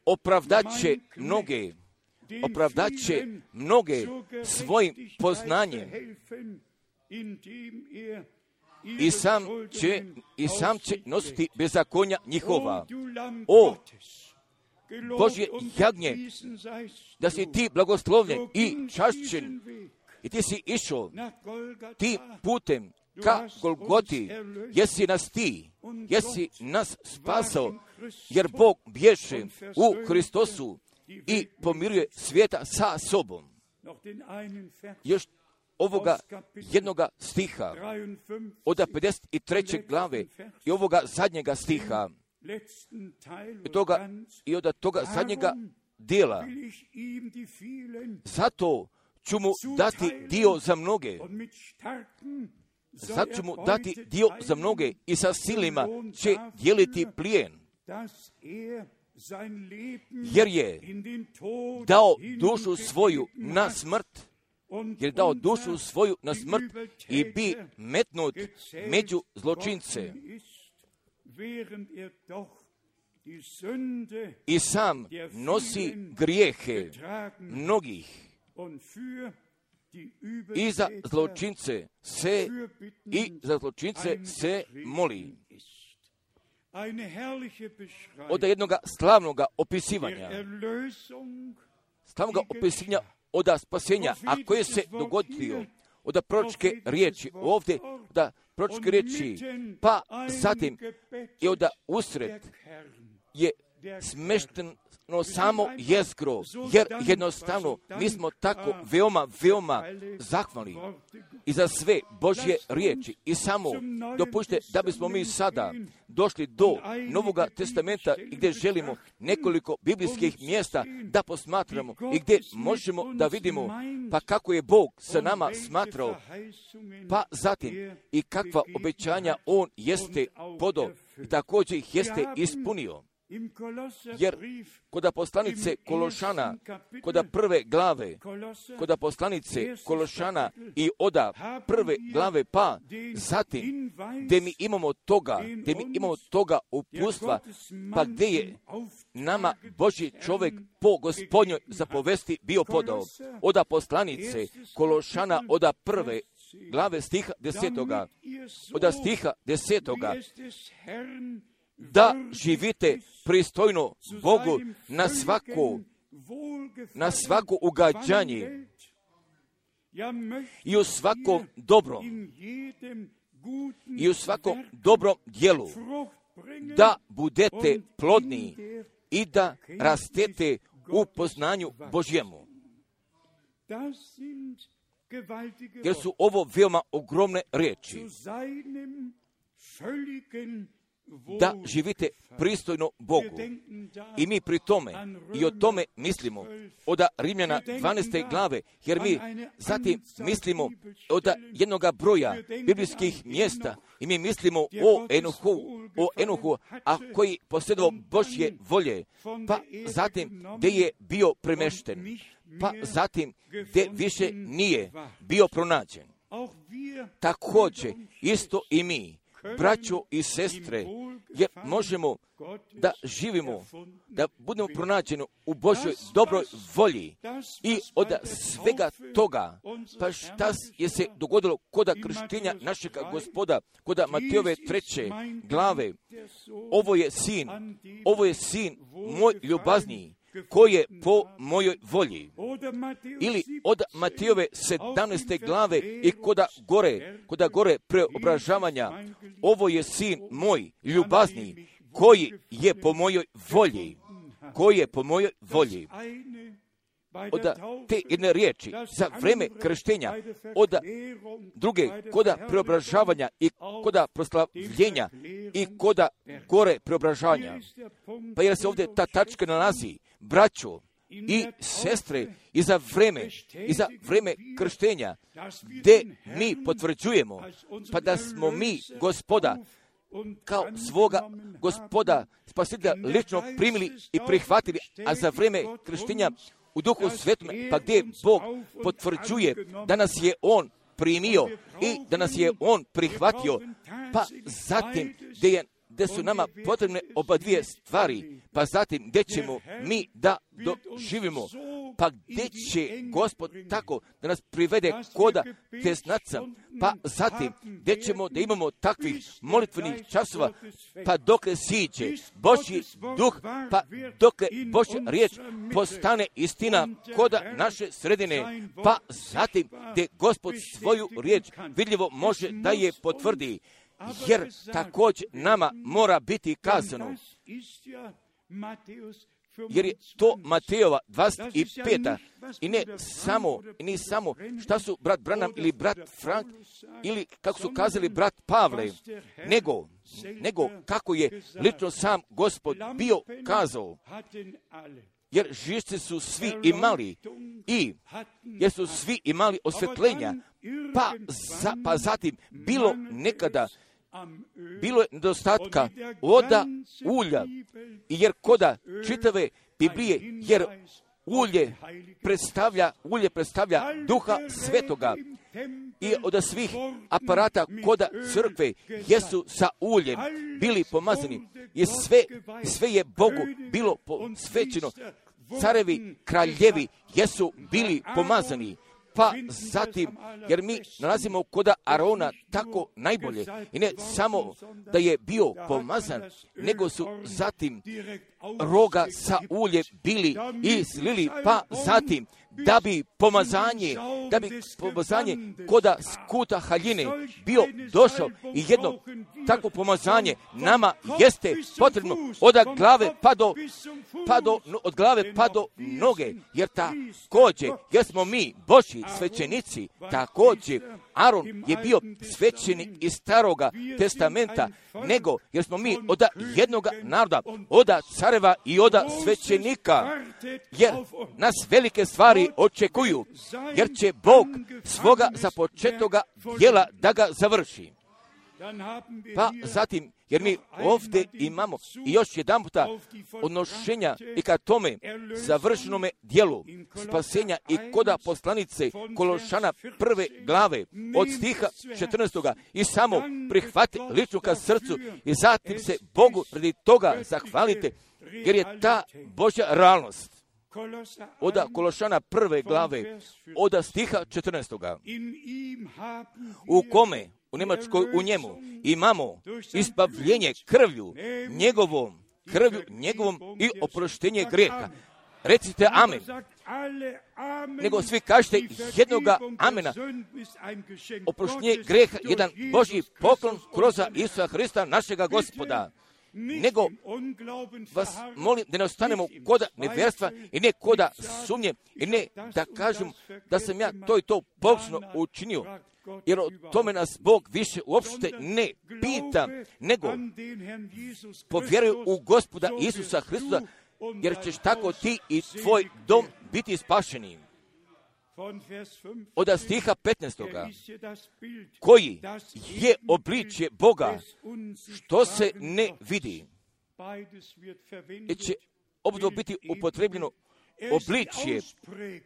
opravdaće mnoge, opravdaće mnoge svojim poznanjem i sam će, i sam će nositi bezakonja njihova. O Božje jagnje, da si ti blagoslovljen i čašćen I ti si išao tim putem ka Golgoti, jesi nas ti, jesi nas spasao, jer Bog bješe u Hristosu i pomiruje svijeta sa sobom. Još ovoga jednoga stiha, od pedeset treće glave i ovoga zadnjega stiha, i, toga, i od toga zadnjega dijela. Zato ću mu dati dio za mnoge. Zato ću mu dati dio za mnoge i sa silima će dijeliti plijen. Jer je dao dušu svoju na smrt, jer je dao dušu svoju na smrt i bi metnut među zločince. I sam nosi grijehe mnogih i za zločince se i za zločince se moli. Od jednoga slavnoga opisivanja, slavnoga opisivanja od spasenja, a koje se dogodio od proročke riječi ovdje, od proročke riječi, pa zatim i od usred je smešteno samo jezgro, jer jednostavno mi smo tako veoma, veoma zahvalni i za sve Božje riječi. I samo dopušte da bismo mi sada došli do Novoga testamenta i gdje želimo nekoliko biblijskih mjesta da posmatramo i gdje možemo da vidimo pa kako je Bog sa nama smatrao, pa zatim i kakva obećanja On jeste podao i također ih jeste ispunio. Jer kod poslanice Kološana, kod prve glave, kod poslanice Kološana i oda prve glave, pa zatim gdje mi imamo toga, gdje mi imamo toga upustva, pa gdje je nama Božji čovjek po Gospodnjoj zapovesti bio podao. Oda poslanice Kološana, oda prve glave stiha desetoga, oda stiha desetoga, da živite pristojno Bogu na svako, na svako ugađanje i u svakom dobrom, i u svakom dobrom djelu, da budete plodni i da rastete u poznanju Božjemu. Jer su ovo veoma ogromne riječi. Da živite pristojno Bogu. I mi pri tome i o tome mislimo od Rimljana dvanaeste glave, jer mi zatim mislimo od jednoga broja biblijskih mjesta i mi mislimo o Enohu, o Enohu, a koji posjedovao Božje volje, pa zatim gdje je bio premešten, pa zatim gdje više nije bio pronađen. Također isto i mi, braćo i sestre, jer možemo da živimo, da budemo pronađeni u Božoj dobroj volji i od svega toga, pa šta je se dogodilo kod krštenja našeg Gospoda, kod Matejove treće glave, ovo je sin, ovo je sin moj ljubazniji, koji je po mojoj volji. Ili od Matejove sedamnaeste glave i koda gore, koda gore preobražavanja, ovo je sin moj ljubazni, koji je po mojoj volji, koji je po mojoj volji. Od te jedne riječi za vreme krštenja, od druge koda preobražavanja i koda proslavljenja i koda gore preobražavanja. Pa jer se ovdje ta tačka nalazi, braćo i sestre, i za vreme, i za vreme krštenja, gdje mi potvrđujemo, pa da smo mi Gospoda kao svoga Gospoda spasitelja lično primili i prihvatili, a za vreme krštenja u Duhu Svetom, pa gdje Bog potvrđuje da nas je On primio i da nas je On prihvatio, pa zatim gdje je gdje su nama potrebne oba dvije stvari, pa zatim gdje ćemo mi da doživimo Pa gdje će Gospod tako da nas privede koda tesnaca, pa zatim gdje ćemo da imamo takvih molitvenih časova, pa dokle siđe Božji duh, pa dokle Božja riječ postane istina koda naše sredine, pa zatim gdje Gospod svoju riječ vidljivo može da je potvrdi, jer također nama mora biti kazano. Jer je to Matejova dvadeset peta i ne samo, i ne samo šta su brat Branham ili brat Frank ili kako su kazali brat Pavle, nego, nego kako je lično sam Gospod bio kazao. Jer živci su svi imali i jer su svi imali osvjetljenja, pa, za, pa zatim bilo nekada bilo je nedostatka voda, ulja, i jer koda čitave Biblije, jer ulje predstavlja, ulje predstavlja Duha Svetoga i od svih aparata koda crkve jesu sa uljem bili pomazani i sve, sve je Bogu bilo posvećeno. Carevi, kraljevi jesu bili pomazani. Pa zatim, jer mi nalazimo koda Arona tako najbolje, i ne samo da je bio pomazan, nego su zatim roga sa ulje bili i slili, pa zatim da bi pomazanje, da bi pomazanje koda skuta haljine bio došao i jedno takvo pomazanje nama jeste potrebno od glave pa do, pa do, od glave pa do noge, jer također, jer smo mi Božji svećenici, također Aron je bio svećenik iz Staroga testamenta, nego jer smo mi od jednoga naroda, od careva i od svećenika, jer nas velike stvari očekuju, jer će Bog svoga započetoga djela da ga završi. Pa zatim, jer mi ovdje imamo i još jedan puta odnošenja i ka tome završenome dijelu spasenja i koda poslanice Kološana prve glave od stiha četrnaestoga i samo prihvati lično ka srcu i zatim se Bogu radi toga zahvalite, jer je ta Božja realnost. Od Kološana prve glave, od stiha četrnaestoga, u kome, u Njemačkoj, u njemu, imamo izbavljenje krvlju njegovom, krvlju njegovom i oproštenje grijeha. Recite amen. Nego svi kažete jednoga amena. Oproštenje grijeha, jedan Božji poklon kroz Isusa Hrista, našega Gospoda. Nego vas molim da ne ostanemo koda nevjerstva i ne koda sumnje i ne da kažem da sam ja to i to pogrešno učinio, jer o tome nas Bog više uopšte ne pita, nego povjeruj u Gospoda Isusa Hristusa, jer ćeš tako ti i tvoj dom biti spašeni. Od stiha petnaestoga, koji je obličje Boga, što se ne vidi, jer će obdvo biti upotrebljeno obličje,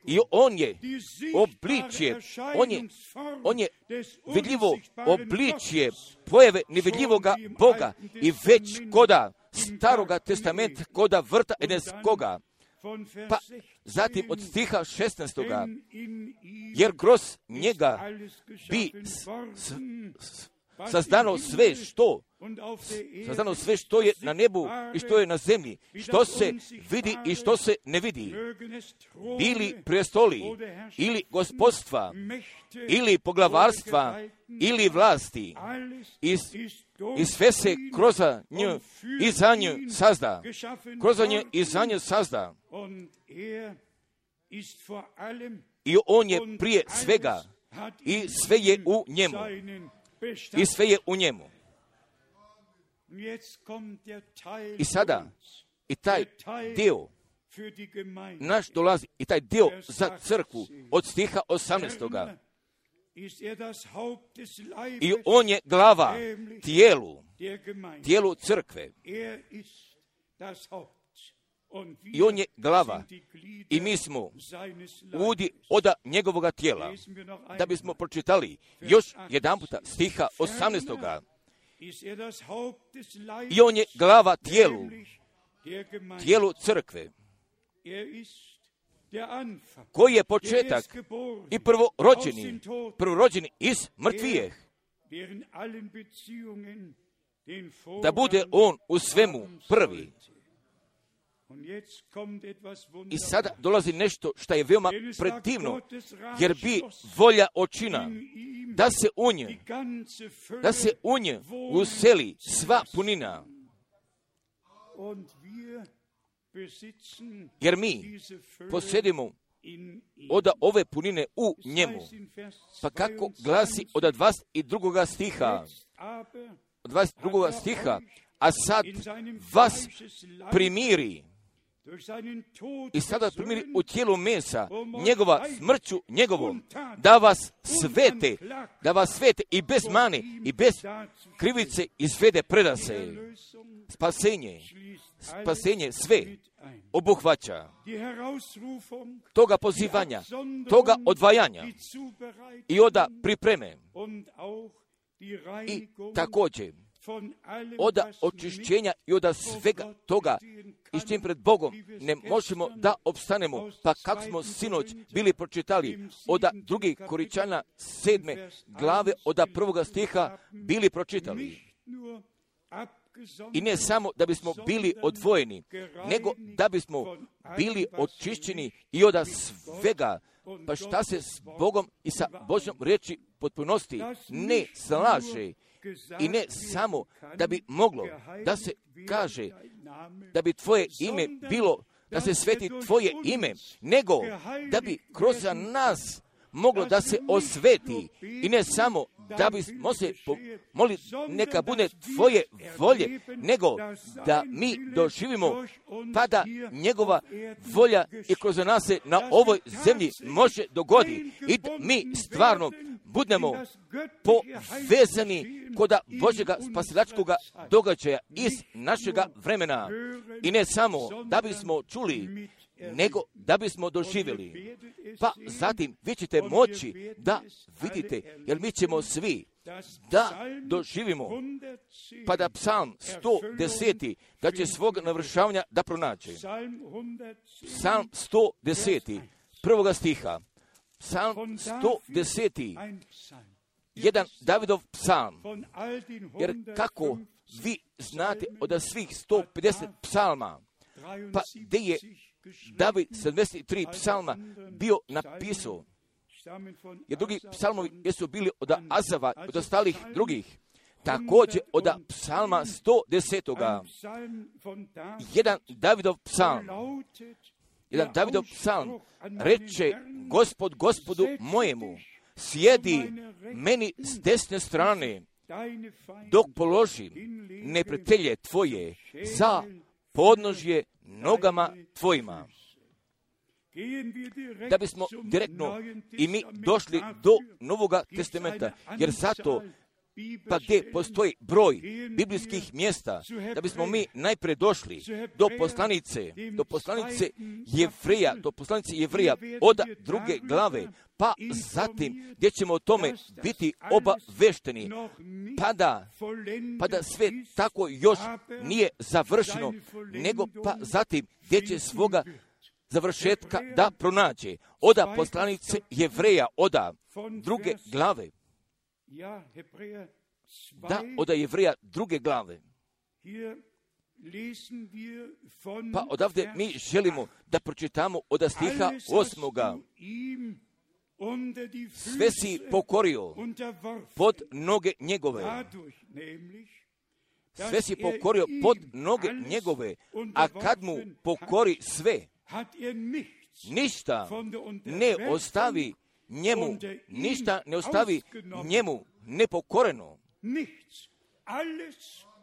i on je obličje, on je, on je vidljivo obličje pojave nevidljivoga Boga i već koda Staroga testamenta, koda vrta Edenskoga. Pa zatim od stiha šesnaestoga, jer kroz njega bi s, s, s, sazdano sve što, sazdano sve što je na nebu i što je na zemlji, što se vidi i što se ne vidi, bili prestoli, ili gospodstva, ili poglavarstva, ili vlasti, i, i sve se kroz nju i za nju sazda, kroz nju i za nju sazda. I on je prije svega, i sve je u njemu. I sve je u njemu. I sada, i taj dio naš dolazi, i taj dio za crkvu od stiha osamnaestoga. I on je glava tijelu, tijelu crkve. I on je glava. I mi smo udi od njegovoga tijela. Da bismo pročitali još jedan puta stiha osamnaestoga. I on je glava tijelu, tijelu crkve. koji je početak i prvorođeni, prvorođeni iz mrtvijeh, da bude on u svemu prvi. I sada dolazi nešto što je veoma predivno, jer bi volja očina da se u nje, da se u nje useli sva punina. Jer mi posjedimo od ove punine u njemu. Pa kako glasi od dvadeset drugoga stiha, od dvadeset drugoga stiha, a sad vas primiri, i sada primiri u tijelu mesa, njegova smrću njegovom, da vas svete, da vas svete i bez mane i bez krivice izvede predase. Spasenje, spasenje sve obuhvaća. Toga pozivanja, toga odvajanja i oda pripreme. I također od očišćenja i od svega toga i s čim pred Bogom ne možemo da opstanemo. Pa kako smo sinoć bili pročitali od drugi Koričana sedme glave od prvoga stiha bili pročitali. I ne samo da bismo bili odvojeni, nego da bismo bili očišćeni i od svega. Pa šta se s Bogom i sa Božjom riječi potpunosti ne slaže. I ne samo da bi moglo da se kaže da bi tvoje ime bilo, da se sveti tvoje ime, nego da bi kroz nas moglo da se osveti i ne samo da bismo se molili neka bude tvoje volje, nego da mi doživimo pa da njegova volja i kroz nas se na ovoj zemlji može dogoditi i da mi stvarno budemo povezani kod Božjega spasilačkoga događaja iz našega vremena. I ne samo da bismo čuli, nego da bismo doživjeli. Pa zatim vi ćete moći da vidite, jer mi ćemo svi da doživimo, pa da psalm sto deset da će svog navršavanja da pronađe. Psalm sto deset prvoga stiha. Psalm sto deset jedan Davidov psalm. Jer kako vi znate od svih sto pedeset psalma, pa gdje je David sedamdeset tri psalma bio napisao, jer drugi psalmovi jesu bili od Azava, od ostalih drugih, također od psalma sto deset. Jedan Davidov psalm, jedan Davidov psalm reče: Gospod Gospodu mojemu, sjedi meni s desne strane, dok položim neprijatelje tvoje za podnožje nogama tvojima. Da bismo direktno i mi došli do Novoga testamenta, jer zato pa gdje postoji broj biblijskih mjesta, da bismo mi najprije došli do poslanice, do poslanice Jevreja, do poslanice Jevreja od druge glave, pa zatim gdje ćemo o tome biti obavešteni, pa da, pa da sve tako još nije završeno, nego pa zatim gdje će svoga završetka da pronađe. Oda poslanice Jevreja, oda druge glave. Da, od Jevreja druge glave. Pa odavde mi želimo da pročitamo od stiha osmoga. Sve si pokorio pod noge njegove. Sve si pokorio pod noge njegove, a kad mu pokori sve, ništa ne ostavi njemu, ništa ne ostavi njemu nepokoreno.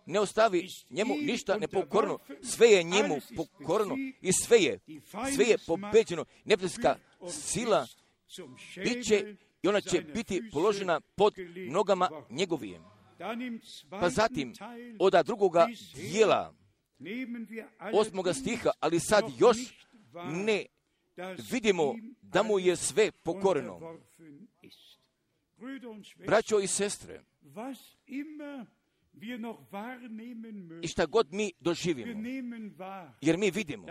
Ne ostavi njemu ništa nepokoreno. Sve je njemu pokoreno i sve je, sve je pobeđeno. Neprijateljska sila bit će i ona će biti položena pod nogama njegovim. Pa zatim, od drugoga dijela, osmoga stiha, ali sad još ne vidimo da mu je sve pokoreno. Braćo i sestre, I šta god mi doživimo, jer mi vidimo,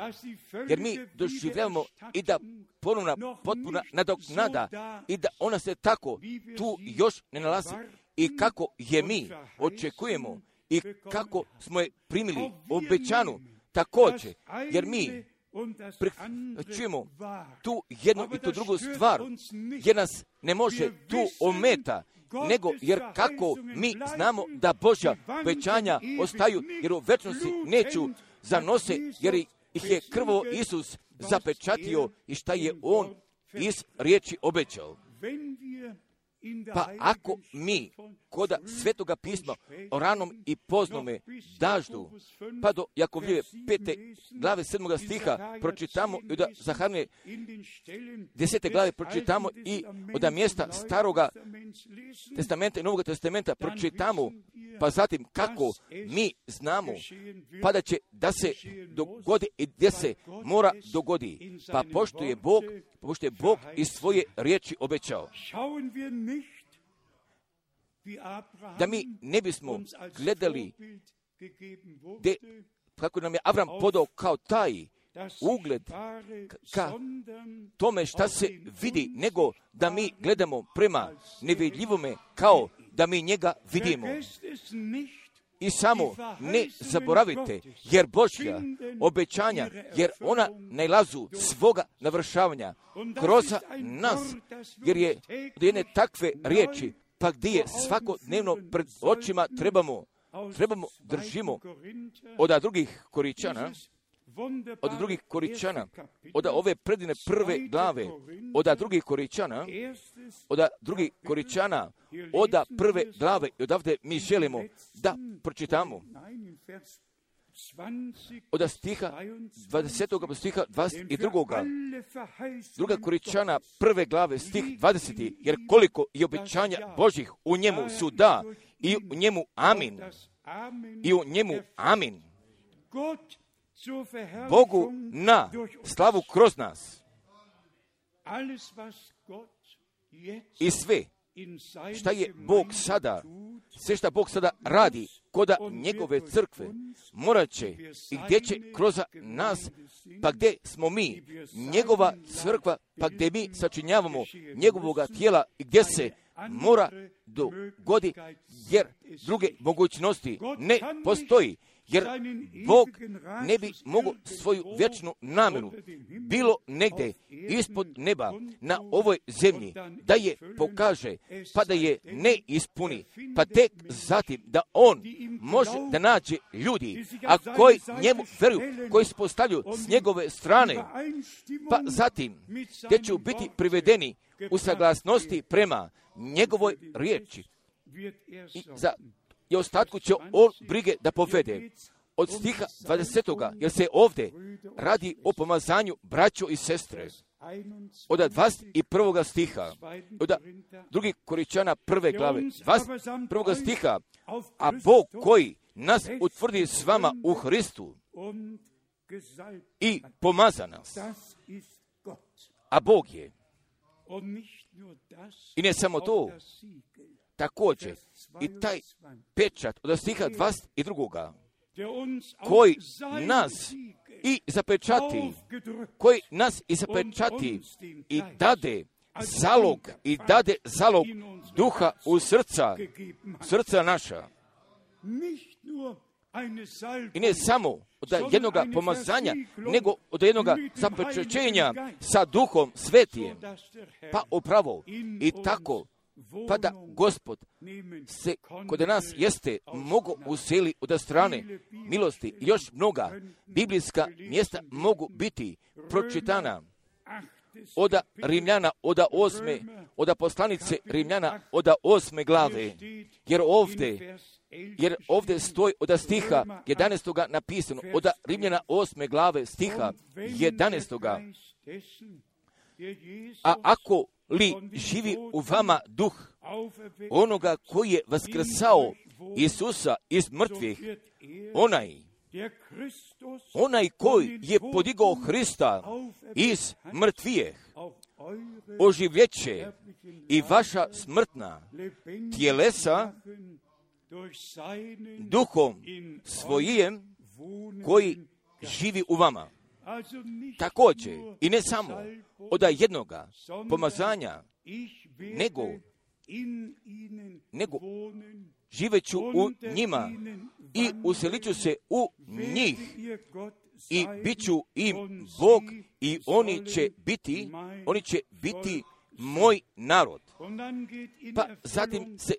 jer mi doživljavamo i da ponovna potpuna nadoknada i da ona se tako tu još ne nalazi i kako je mi očekujemo i kako smo je primili obećanu također, jer mi čujemo tu jednu i tu drugu stvar, jer nas ne može tu ometa, nego jer kako mi znamo da Božja obećanja ostaju, jer u večnosti neću zanose, jer ih je krvo Isus zapečatio i šta je On iz riječi obećao. Pa ako mi koda Svetoga pisma o ranom i poznome daždu, pa do Jakovljeve pete glave sedmoga stiha pročitamo i da Zaharne desete glave pročitamo i od mjesta Staroga testamenta i Novoga testamenta pročitamo, pa zatim kako mi znamo, pa da će da se dogodi i gdje se mora dogodi, pa pošto je Bog, pošto je Bog iz svoje riječi obećao. Da mi ne bismo gledali de, kako nam je Avram podao kao taj ugled ka tome šta se vidi, nego da mi gledamo prema nevidljivome kao da mi njega vidimo. I samo ne zaboravite, jer Božja obećanja, jer ona najlazu svoga navršavanja kroz nas, jer je od jedne takve riječi, pa gdje je svakodnevno pred očima trebamo, trebamo držimo od drugih Koričana, od drugih Koričana, od ove predine prve glave, od drugih Koričana, od drugih Koričana, od prve glave, i odavde mi želimo da pročitamo od stiha dvadesetog stiha dvadeset drugoga druga Koričana prve glave stih dvadeseti, jer koliko je obećanja Božih u njemu su da i u njemu amin i u njemu amin. Bogu na slavu kroz nas. I sve šta je Bog sada, sve šta Bog sada radi koda njegove crkve, morat će i gdje će kroz nas, pa gdje smo mi, njegova crkva, pa gdje mi sačinjavamo njegovoga tijela i gdje se mora dogodi, jer druge mogućnosti ne postoji. Jer Bog ne bi mogao svoju vječnu namjeru bilo negdje ispod neba na ovoj zemlji da je pokaže, pa da je ne ispuni, pa tek zatim da on može da nađe ljudi, a koji njemu vjeruju, koji se postavljaju s njegove strane, pa zatim gdje će biti privedeni u saglasnosti prema njegovoj riječi. I za i ostatku će on brige da povede. Od stiha dvadesetoga, jer se ovdje radi o pomazanju braćo i sestre. Od dvadeset prvoga stiha, od drugih Koričana prve glave, dvadeset prvoga stiha, a Bog koji nas utvrdi s vama u Hristu i pomaza nas, a Bog je. I ne samo to, također i taj pečat od stiha dvadeset drugoga koji nas i zapečati, koji nas i zapečati i dade zalog, i dade zalog duha u srca, srca naša. I ne samo od jednog pomazanja, nego od jednog zapečaćenja sa duhom svetijem. Pa upravo i tako, pa da Gospod se kod nas jeste mogu useli od strane milosti. Još mnoga biblijska mjesta mogu biti pročitana od Rimljana, od osme, od poslanice Rimljana, od osme glave, jer ovdje, jer ovdje stoji od stiha jedanaestoga napisano, od Rimljana osme glave stiha jedanaestoga. A ako li živi u vama duh onoga koji je vaskrsao Isusa iz mrtvih, onaj, onaj koji je podigao Hrista iz mrtvijeh, oživljeće i vaša smrtna tjelesa duhom svojim koji živi u vama. Također, i ne samo od jednoga pomazanja, nego, nego živeću u njima i uselit ću se u njih i bit ću im Bog i oni će biti, oni će biti moj narod. Pa zatim se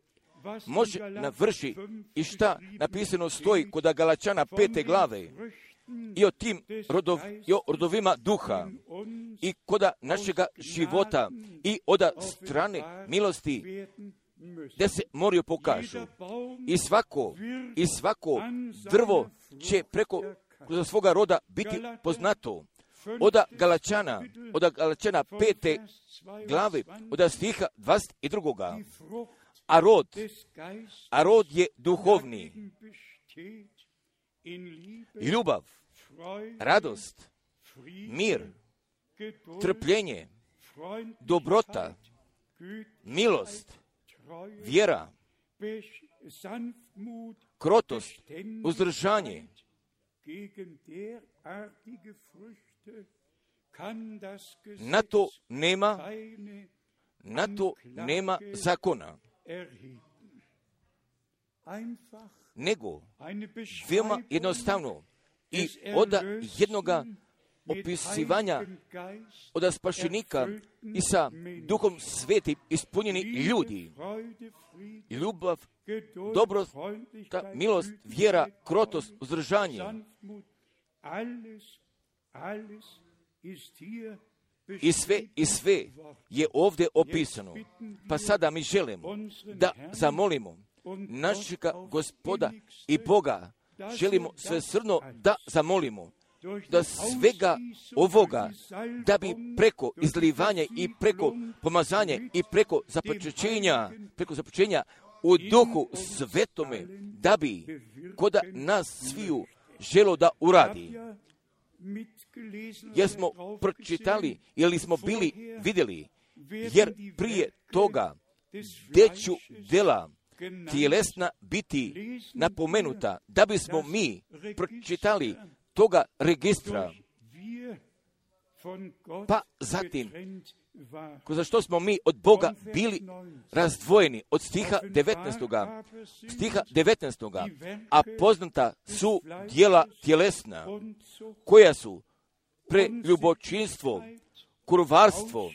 može navrši i šta napisano stoji kod Galačana pete glave i o tim rodov, i o rodovima duha i koda našega života i od strane milosti da se moraju pokažu. I svako, i svako drvo će preko za svoga roda biti poznato. Od Galačana, od Galačana pete glave, od stiha dvadeset dva. A rod, a rod je duhovni. Ljubav, radost, mir, trpljenje, dobrota, milost, vjera, krotost, uzdržanje. Na to nema, na to nema zakona. Nego, veoma jednostavno, i od jednoga opisivanja od spašenika i sa Duhom Svetim ispunjeni ljudi. Ljubav, dobrost, milost, vjera, krotost, uzdržanje. I sve, i sve je ovdje opisano. Pa sada mi želimo da zamolimo našega Gospoda i Boga, želimo svesrdno da zamolimo da svega ovoga, da bi preko izlivanja i preko pomazanja i preko započećenja, preko započećenja u Duhu Svetome, da bi kod nas sviju želo da uradi. Jer smo pročitali ili smo bili vidjeli, jer prije toga deću dela tjelesna biti napomenuta, da bismo mi pročitali toga registra, pa zatim, za što smo mi od Boga bili razdvojeni od stiha devetnaestog. Stiha devetnaestog. A poznata su djela tjelesna, koja su preljubočinstvo, kurvarstvo,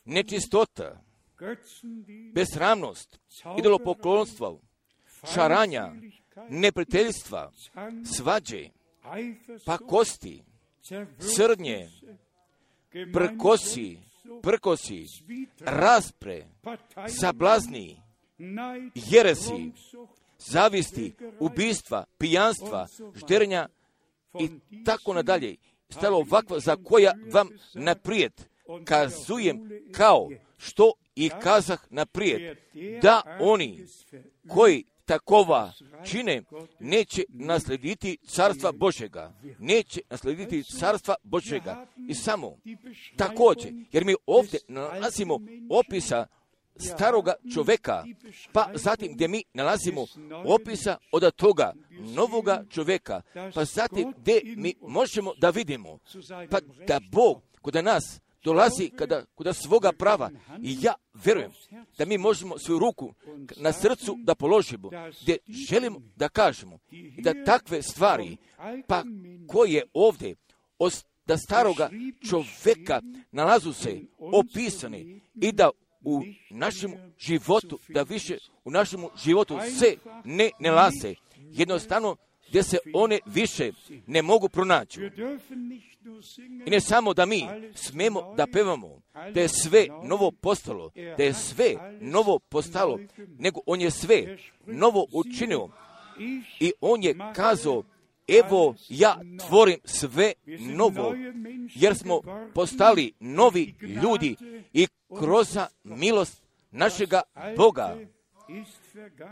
nečistota, besramnost, idolopoklonstvo, šaranja, neprijateljstva, svađe, pakosti, srdnje, prkosi, prkosi, raspre, sablazni, jeresi, zavisti, ubistva, pijanstva, žderenja i tako nadalje. Stalo ovakva za koja vam naprijed kazujem kao što i kazah naprijed, da oni koji takova čine neće naslediti carstva Božjega. Neće naslediti carstva Božjega. I samo također, jer mi ovdje nalazimo opisa staroga čovjeka, pa zatim gdje mi nalazimo opisa od toga novoga čovjeka, pa zatim gdje mi možemo da vidimo, pa da Bog kod nas dolazi kada, kada svoga prava. I ja vjerujem da mi možemo svoju ruku na srcu da položimo, gdje želimo da kažemo i da takve stvari, pa koje ovdje od da staroga čovjeka nalazu se opisane i da u našem životu, da više u našem životu se ne nalaze. Jednostavno gdje se one više ne mogu pronaći. I ne samo da mi smemo da pevamo, da je sve novo postalo, da je sve novo postalo, nego on je sve novo učinio. I on je kazao, evo ja tvorim sve novo, jer smo postali novi ljudi i kroz milost našega Boga.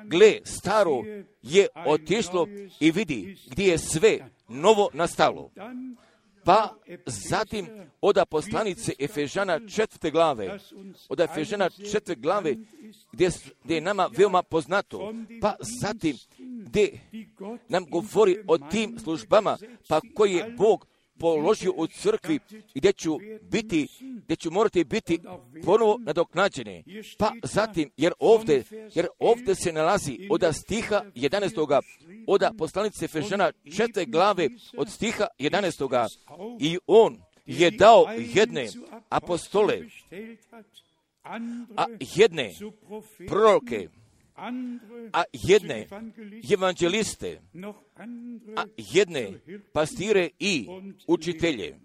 Gle, staro je otišlo i vidi gdje je sve novo nastalo. Pa zatim od poslanice Efežana četvrte glave, od Efežana četvrte glave, gdje, gdje je nama veoma poznato, pa zatim gdje nam govori o tim službama, pa koji je Bog položio u crkvi, gdje ću biti, gdje ću morati biti ponovo nadoknađene. Pa zatim, jer ovdje, jer ovdje se nalazi od stiha jedanaestoga, od poslanice Efežana četvrte glave, od stiha jedanaestoga, i on je dao jedne apostole, a jedne proroke, a jedne evanđeliste, a jedne pastire i učitelje.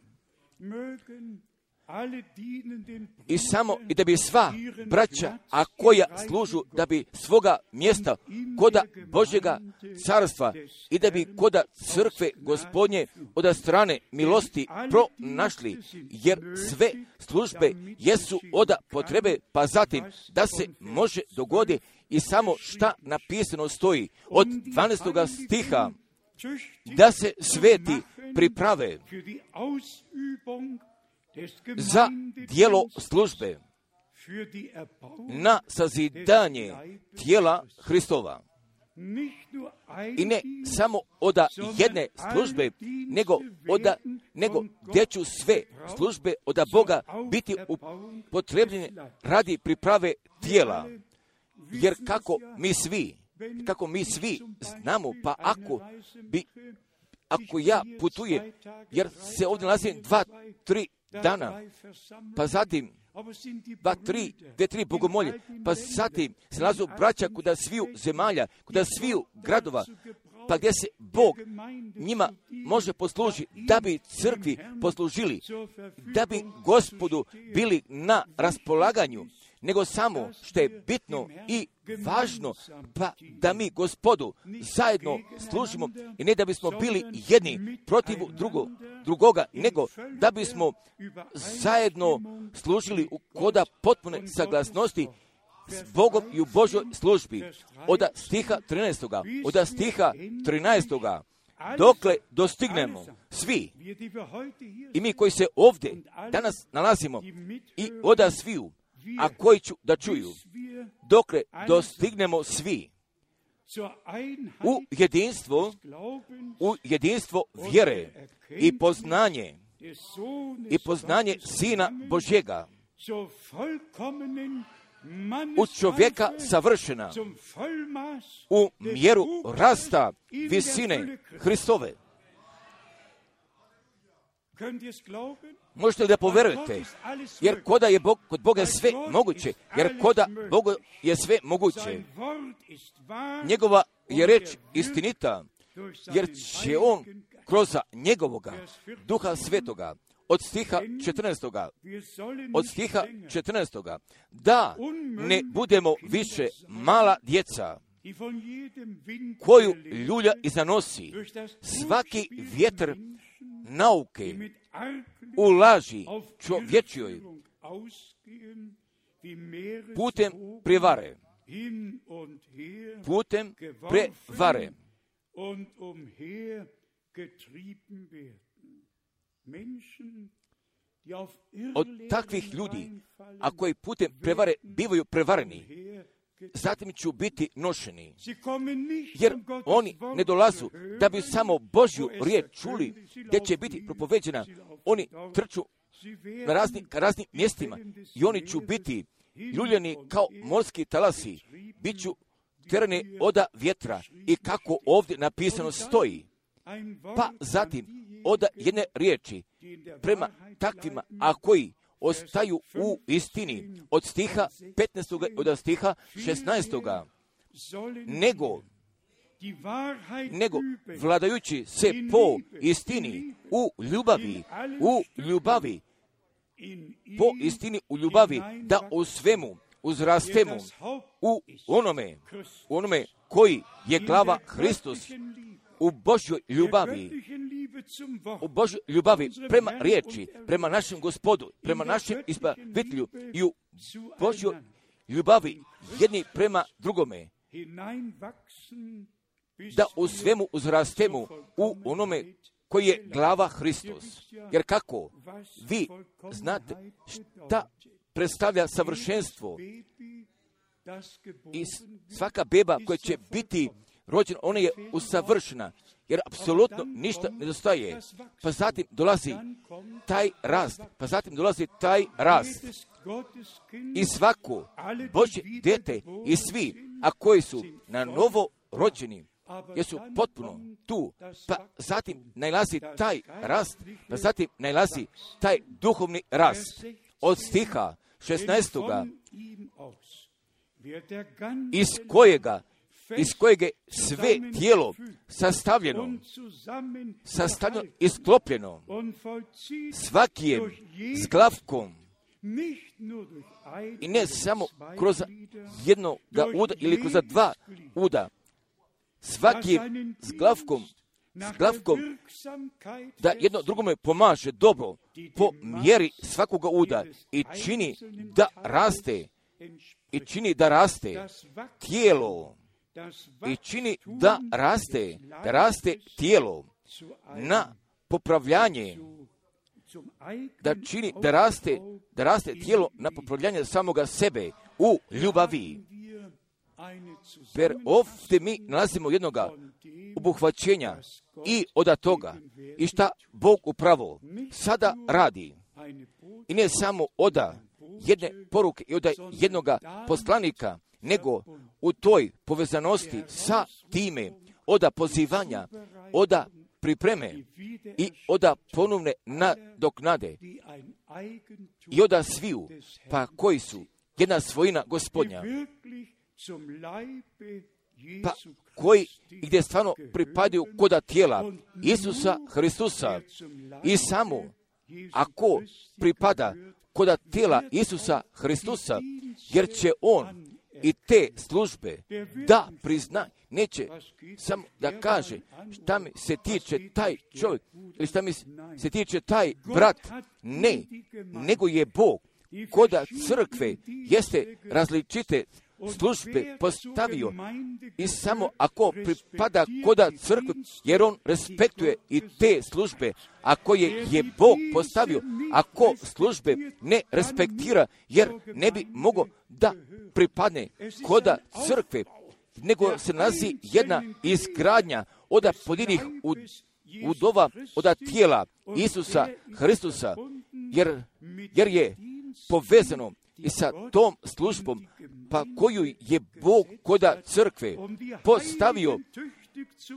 I samo i da bi sva braća, a koja služu, da bi svoga mjesta koda Božjega carstva i da bi koda crkve Gospodnje od strane milosti pronašli, jer sve službe jesu od potrebe, pa zatim da se može dogoditi i samo šta napisano stoji od dvanaestoga stiha, da se sveti priprave za dijelo službe na sazidanje tijela Hristova. I ne samo od jedne službe, nego od nego gdje ću sve službe od Boga biti upotrebljene radi priprave tijela. Jer kako mi svi, kako mi svi znamo, pa ako bi, ako ja putujem, jer se ovdje nalazim dva, tri dana, pa zatim dva, tri, dve, tri bogomolje, pa zatim se nalazu braća kuda sviju zemalja, kuda sviju gradova, pa gdje se Bog njima može poslužiti, da bi crkvi poslužili, da bi Gospodu bili na raspolaganju, nego samo što je bitno i važno, pa da mi Gospodu zajedno služimo i ne da bismo bili jedni protiv drugo, drugoga, nego da bismo zajedno služili u koda potpune saglasnosti s Bogom i u Božoj službi. Od stiha trinaestoga, od stiha trinaestoga, dokle dostignemo svi, i mi koji se ovdje danas nalazimo, i od sviju, a koji ću da čuju, dokle dostignemo svi u jedinstvo, u jedinstvo vjere i poznanje, i poznanje Sina Božjega, u čovjeka savršena, u mjeru rasta visine Hristove. Možete li da poverujete? Jer koda je Bog, kod Boga je sve moguće. Jer koda Bogu je sve moguće. Njegova je reč istinita. Jer će on kroz njegovoga Duha Svetoga od stiha četrnaestoga, od stiha četrnaestoga, da ne budemo više mala djeca koju ljulja i zanosi svaki vjetar nauke u laži čovječjoj putem prevare, putem prevare. Od takvih ljudi, a koji putem prevare bivaju prevareni, zatim ću biti nošeni, jer oni ne dolazu da bi samo Božju riječ čuli, gdje će biti propoveđena. Oni trču na raznim, raznim mjestima i oni ću biti ljuljeni kao morski talasi, bit ću terani oda vjetra, i kako ovdje napisano stoji. Pa zatim od jedne riječi prema takvima, a koji ostaju u istini, od stiha petnaestoga od stiha šesnaestoga, nego, nego vladajući se po istini u ljubavi, u ljubavi, po istini u ljubavi, da u svemu uzrastemo u onome, u onome koji je glava Hristos, u Božjoj ljubavi, u Božjoj ljubavi prema riječi, prema našem Gospodu, prema našem Izbavitelju, i u Božjoj ljubavi jedni prema drugome, da u svemu uzrastemo u onome koji je glava Hristos. Jer kako? Vi znate šta predstavlja savršenstvo. I svaka beba koja će biti rođena, ona je usavršena, jer apsolutno ništa nedostaje. Pa zatim dolazi taj rast, pa zatim dolazi taj rast. I svako Božje dijete i svi, a koji su na novo rođeni, jesu potpuno tu, pa zatim najlazi taj rast, pa zatim najlazi taj duhovni rast. Od stiha šesnaestoga iz kojega, iz kojeg je sve tijelo sastavljeno, sastavljeno i sklopljeno, svaki je s glavkom, i ne samo kroz jednog uda ili kroz dva uda, svaki je s glavkom, s glavkom da jedno drugome pomaže dobro po mjeri svakoga uda i čini da raste, i čini da raste tijelo, i čini da raste, da raste tijelo na popravljanje, da čini da raste, da raste tijelo na popravljanje samoga sebe u ljubavi. Jer ovdje mi nalazimo jednoga obuhvaćenja i od toga i šta Bog upravo sada radi. I ne samo od jedne poruke i od jednoga poslanika, nego u toj povezanosti sa time od pozivanja, od pripreme i od ponovne nadoknade i od sviju, pa koji su jedna svojina Gospodnja, pa koji gdje stvarno pripadaju koda tijela Isusa Hristusa. I samo ako pripada koda tijela Isusa Hristusa, jer će on i te službe da prizna, neće samo da kaže šta mi se tiče taj čovjek ili šta mi se tiče taj brat, ne, nego je Bog koda crkve jeste različite službe postavio i samo ako pripada koda crkve, jer on respektuje i te službe, ako je, je Bog postavio, ako službe ne respektira, jer ne bi mogo da pripadne koda crkve, nego se nalazi jedna izgradnja od pojedinih udova od tijela Isusa Hristusa, jer, jer je povezano i sa tom službom, pa koju je Bog koda crkve postavio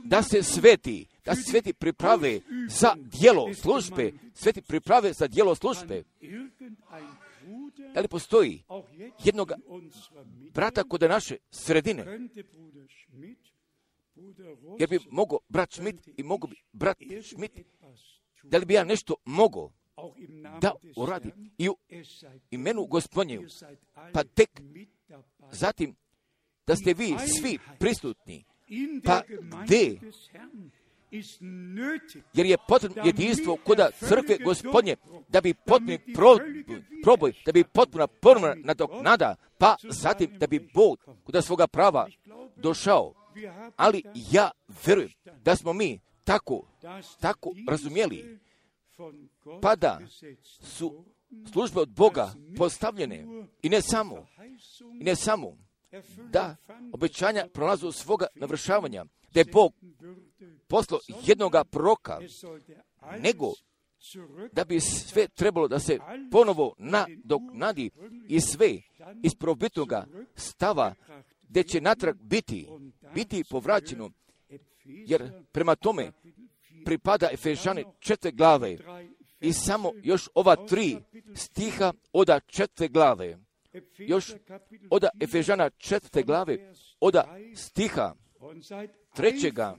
da se sveti, da se sveti priprave za djelo službe, sveti priprave za djelo službe. Da li postoji jednog brata kod naše sredine? Jer bi mogo brat Schmidt i mogo bi brat Schmidt, da li bi ja nešto mogo da uradi i u imenu Gospodnjevu, pa tek zatim da ste vi svi prisutni, pa gdje, jer je potrebno jedinstvo koda crkve Gospodnje, da bi potpuni proboj, da bi potpuna ponovna nadoknada, pa zatim da bi Bog koda svoga prava došao. Ali ja verujem da smo mi tako, tako razumjeli, pa da su službe od Boga postavljene i ne samo, i ne samo da obećanja prolazu svoga navršavanja, da je Bog poslao jednoga proroka, nego da bi sve trebalo da se ponovo nadoknadi i sve iz prvobitnoga stava gdje će natrag biti, biti povraćeno, jer prema tome pripada Efežani četiri glave i samo još ova tri stiha od četiri glave. Još od Efežana četiri glave, od stiha trećega,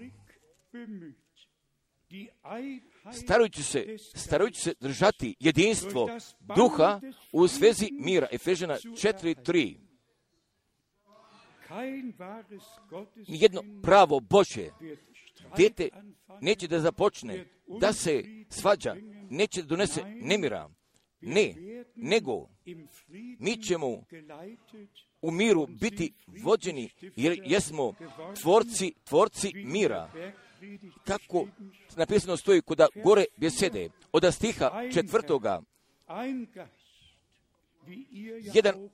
starajući se, starajući se držati jedinstvo duha u svezi mira. Efežana četiri tri. Nijedno pravo Božje dijete neće da započne, da se svađa, neće da donese nemira. Ne, nego mi ćemo u miru biti vođeni, jer jesmo tvorci, tvorci mira. kako napisano stoji kod gore besede, od stiha četvrtoga, jedan,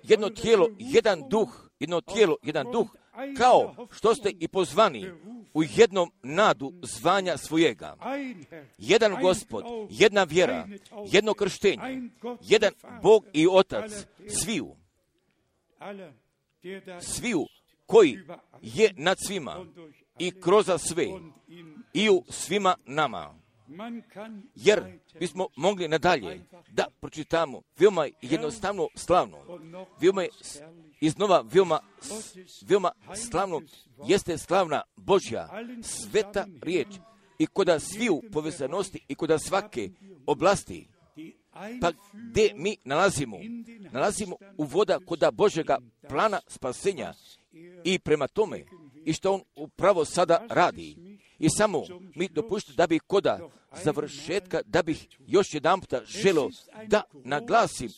jedno tijelo, jedan duh, jedno tijelo, jedan duh, kao što ste i pozvani u jednom nadu zvanja svojega. Jedan Gospod, jedna vjera, jedno krštenje, jedan Bog i Otac, sviju, sviju koji je nad svima i kroz sve i u svima nama. Jer bismo mogli nadalje da pročitamo veoma jednostavno slavno, veoma iznova veoma, veoma slavno jeste slavna Božja sveta riječ i koda sviju povezanosti i koda svake oblasti. Pa gdje mi nalazimo? Nalazimo u voda koda Božjega plana spasenja i prema tome i što on upravo sada radi. I samo mi dopušta da bih koda završetka, da bih još jedan puta želio da naglasim,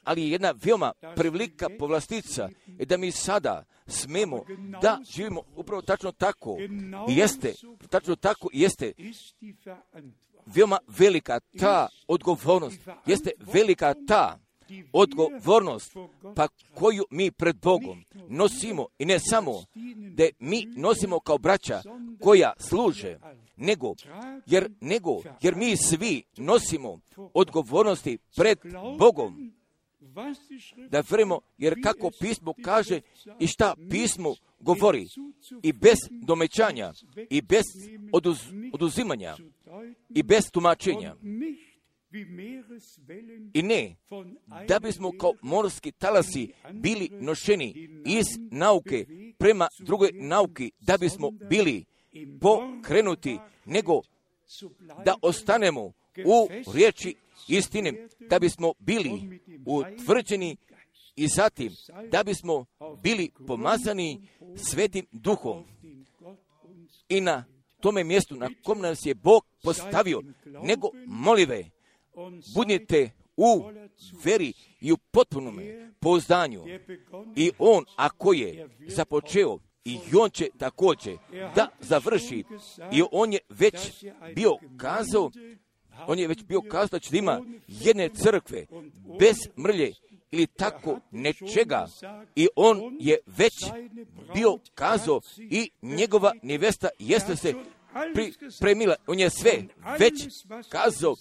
ali je jedna veoma prevelika povlastica je da mi sada smemo da živimo upravo tačno tako. I jeste, tačno tako jeste veoma velika ta odgovornost, jeste velika ta odgovornost pa koju mi pred Bogom nosimo i ne samo da mi nosimo kao braća koja služe, nego jer, nego, jer mi svi nosimo odgovornosti pred Bogom. Da verimo, jer kako pismo kaže i šta pismo govori i bez domećanja i bez oduz, oduzimanja i bez tumačenja. I ne, da bismo kao morski talasi bili nošeni iz nauke prema drugoj nauki, da bismo bili pokrenuti, nego da ostanemo u riječi istine, da bismo bili utvrđeni i zatim da bismo bili pomazani Svetim Duhom. I na tome mjestu na kom nas je Bog postavio, nego molive, budite u veri i u potpunom pouzdanju. I on, ako je započeo, i on će također da završi. I on je već bio kazao, on je već bio kazao da će ima jedne crkve bez mrlje ili tako nečega. I on je već bio kazao i njegova nevesta jeste se pripremila. On je sve već kazao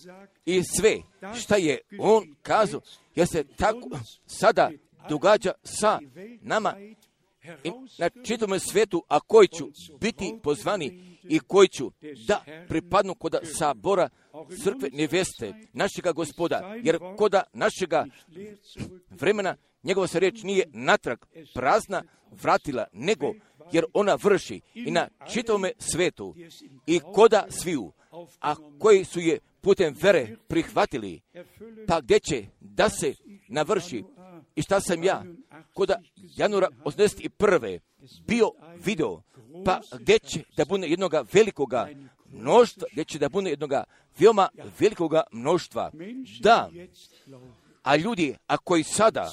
i sve šta je on kazao, jer se tako sada događa sa nama i na čitavom svijetu, a koji ću biti pozvani i koji ću da pripadnu koda sabora crkve neveste našega Gospoda, jer koda našega vremena njegova se riječ nije natrag prazna vratila, nego jer ona vrši i na čitavome svetu i koda sviju, a koji su je putem vere prihvatili, pa gdje će da se navrši. I šta sam ja koda januara osamdeset prve bio video, pa gdje će da bude jednoga velikoga mnoštva, gdje će da bude jednoga veoma velikoga mnoštva. Da, a ljudi, a koji sada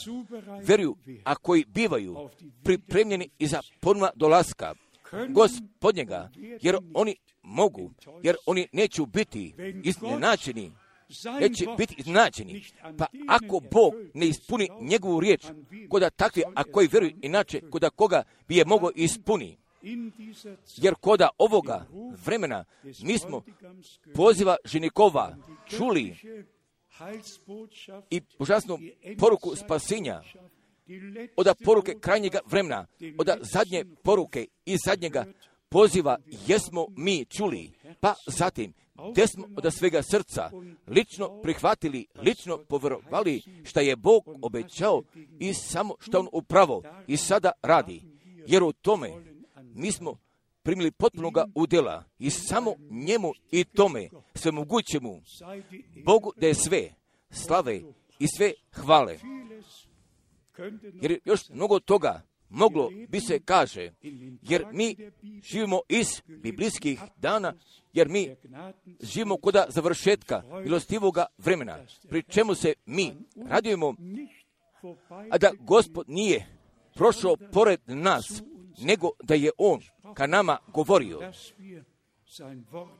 veruju, a koji bivaju pripremljeni iza ponovna dolaska Gospodnjega, jer oni mogu, jer oni neće biti iznenačeni, neće biti iznenačeni. Pa ako Bog ne ispuni njegovu riječ, koda takvi, a koji veruju inače, koda koga bi je mogao ispuni. Jer koda ovoga vremena mi smo poziva ženikova čuli i užasnu poruku spasenja, od poruke krajnjega vremena, od zadnje poruke i zadnjega poziva jesmo mi čuli, pa zatim gdje smo od svega srca lično prihvatili, lično povjerovali šta je Bog obećao i samo što on upravo i sada radi. Jer u tome mi smo primili potpunoga udjela i samo njemu i tome sve mogućemu Bogu da je sve slave i sve hvale. Jer još mnogo toga moglo bi se kaže, jer mi živimo iz biblijskih dana, jer mi živimo koda završetka milostivoga vremena, pri čemu se mi radujemo, a da Gospod nije prošao pored nas, nego da je on ka nama govorio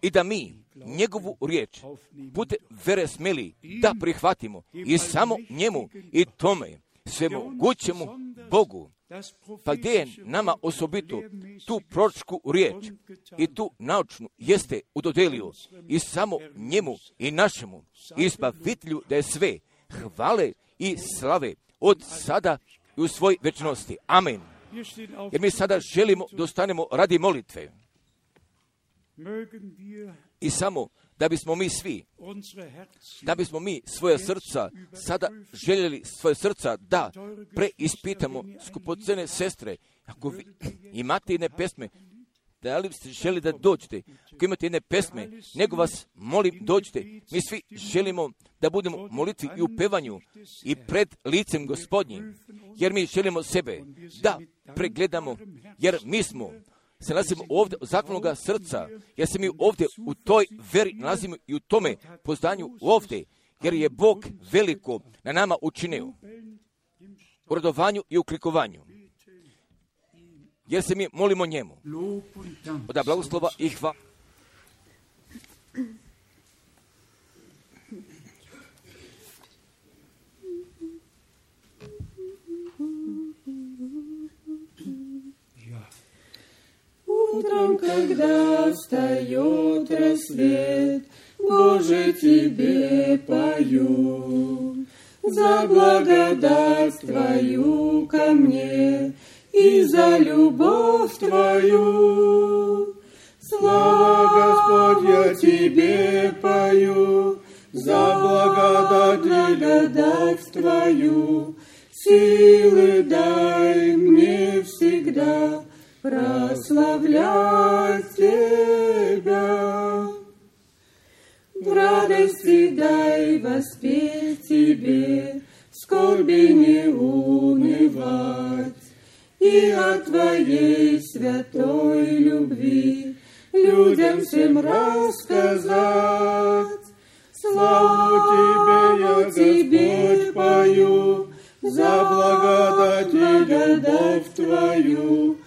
i da mi njegovu riječ putem vere smeli da prihvatimo i samo njemu i tome svemogućemu Bogu. Pa gdje je nama osobito tu proročku riječ i tu naučnu jeste udodelio i samo njemu i našemu izbavitelju da je sve hvale i slave od sada i u svoj večnosti. Amen. Jer mi sada želimo da ostanemo radi molitve. I samo da bismo mi svi, da bismo mi svoje srca sada željeli svoje srca da preispitamo, skupocene sestre, ako vi imate jedne pesme, da li ste želi da dođete, ako imate jedne pesme, nego vas molim dođite. Mi svi želimo da budemo molitvi i u pevanju i pred licem Gospodnjim, jer mi želimo sebe da pregledamo, jer mi smo se nalazimo ovdje od zaklonoga srca, jer se mi ovdje u toj veri nalazimo i u tome poznanju ovdje, jer je Bog veliko na nama učinio u radovanju i u klikovanju. Jer se mi molimo njemu. Od blagoslova i hvala. Утром, когда встает рассвет, Боже, Тебе пою, за благодать Твою ко мне и за любовь Твою. Слава, Господь, я Тебе пою, за благодать, благодать Твою. Силы дай мне всегда прославлять Тебя. В радости дай воспеть Тебе, в скорби не унывать, и о Твоей святой любви людям всем рассказать. Славу Тебе я, Господь, пою, за благодать, благодать Твою.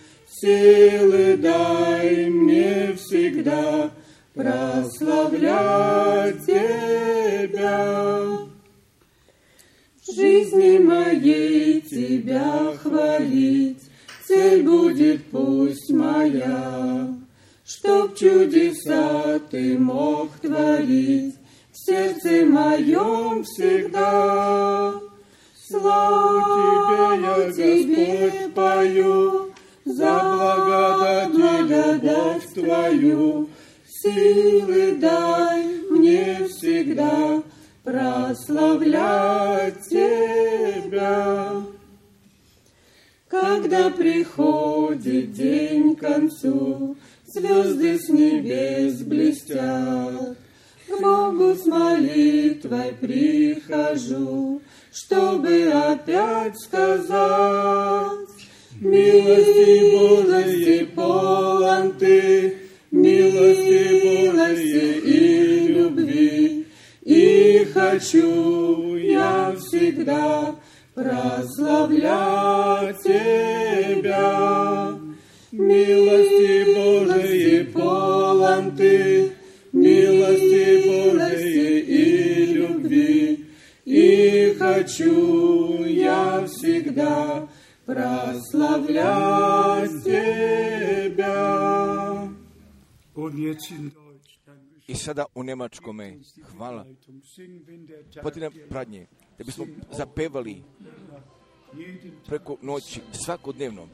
Силы дай мне всегда прославлять Тебя. В жизни моей Тебя хвалить, цель будет пусть моя, чтоб чудеса Ты мог творить в сердце моем всегда. Славу Тебе я, Господь, пою, за благодать, благодать Твою. Силы дай мне всегда прославлять Тебя. Когда приходит день к концу, звезды с небес блестят, к Богу с молитвой прихожу, чтобы опять сказать: милости Божией полон Ты, милости Божией и любви, и хочу я всегда прославлять Тебя. Милости Божией полон Ты, милости Божией и любви, и хочу я всегда прославлять Тебя. I sada u njemačkome, hvala, potina pradnje, da bismo zapevali preko noći svakodnevno.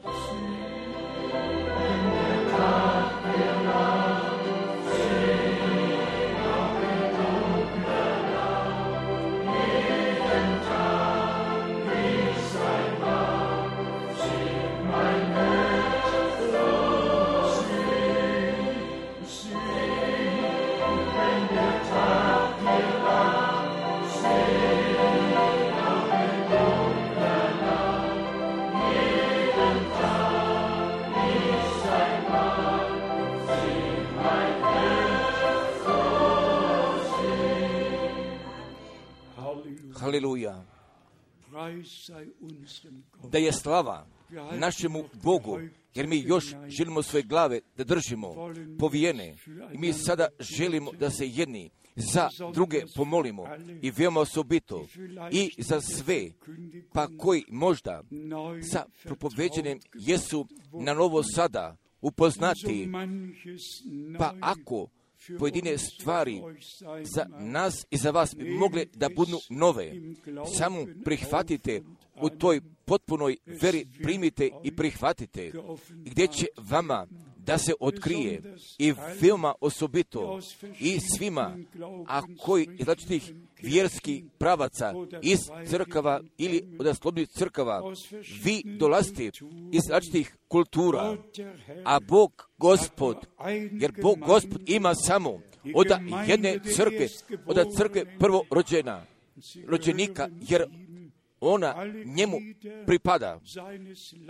Haleluja. Da je slava našemu Bogu, jer mi još želimo svoje glave da držimo povijene. I mi sada želimo da se jedni za druge pomolimo i veoma osobito i za sve, pa koji možda sa propoveđenjem jesu na novo sada upoznati, pa ako pojedine stvari za nas i za vas bi mogle da budu nove, samo prihvatite u toj potpunoj veri, primite i prihvatite, gdje će vama da se otkrije i veoma osobito i svima, a koji iz različitih vjerskih pravaca, iz crkava ili od slobodnih crkava, vi dolazite iz različitih kultura, a Bog Gospod, jer Bog Gospod ima samo od jedne crkve, od crkve prvorođena, rođenika, jer ona njemu pripada,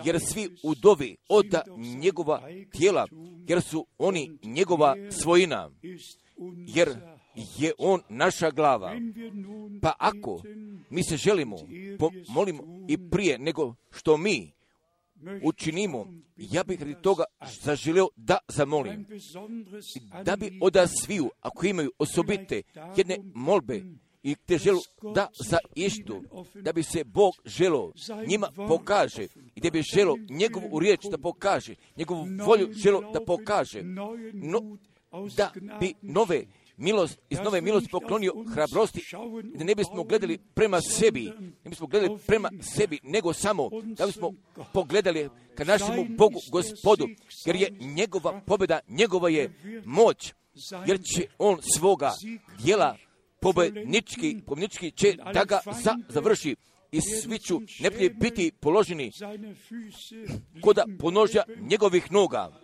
jer svi udovi od njegova tijela, jer su oni njegova svojina, jer je on naša glava. Pa ako mi se želimo, pomolimo i prije nego što mi učinimo, ja bih radi toga zaželio da zamolim, da bi od sviju, ako imaju osobite jedne molbe, i te želu da za ištu, da bi se Bog želo njima pokaže i da bi želo njegovu riječ da pokaže, njegovu volju želo da pokaže, no, da bi nove milost, iz nove milosti poklonio hrabrosti, da ne bismo gledali prema sebi, ne bismo gledali prema sebi, nego samo da bismo pogledali ka našemu Bogu, Gospodu, jer je njegova pobjeda, njegova je moć, jer će on svoga djela pobjednički, pobjednički će da ga za, završi i svi ću neprijatelji biti položeni koda ponožja njegovih noga.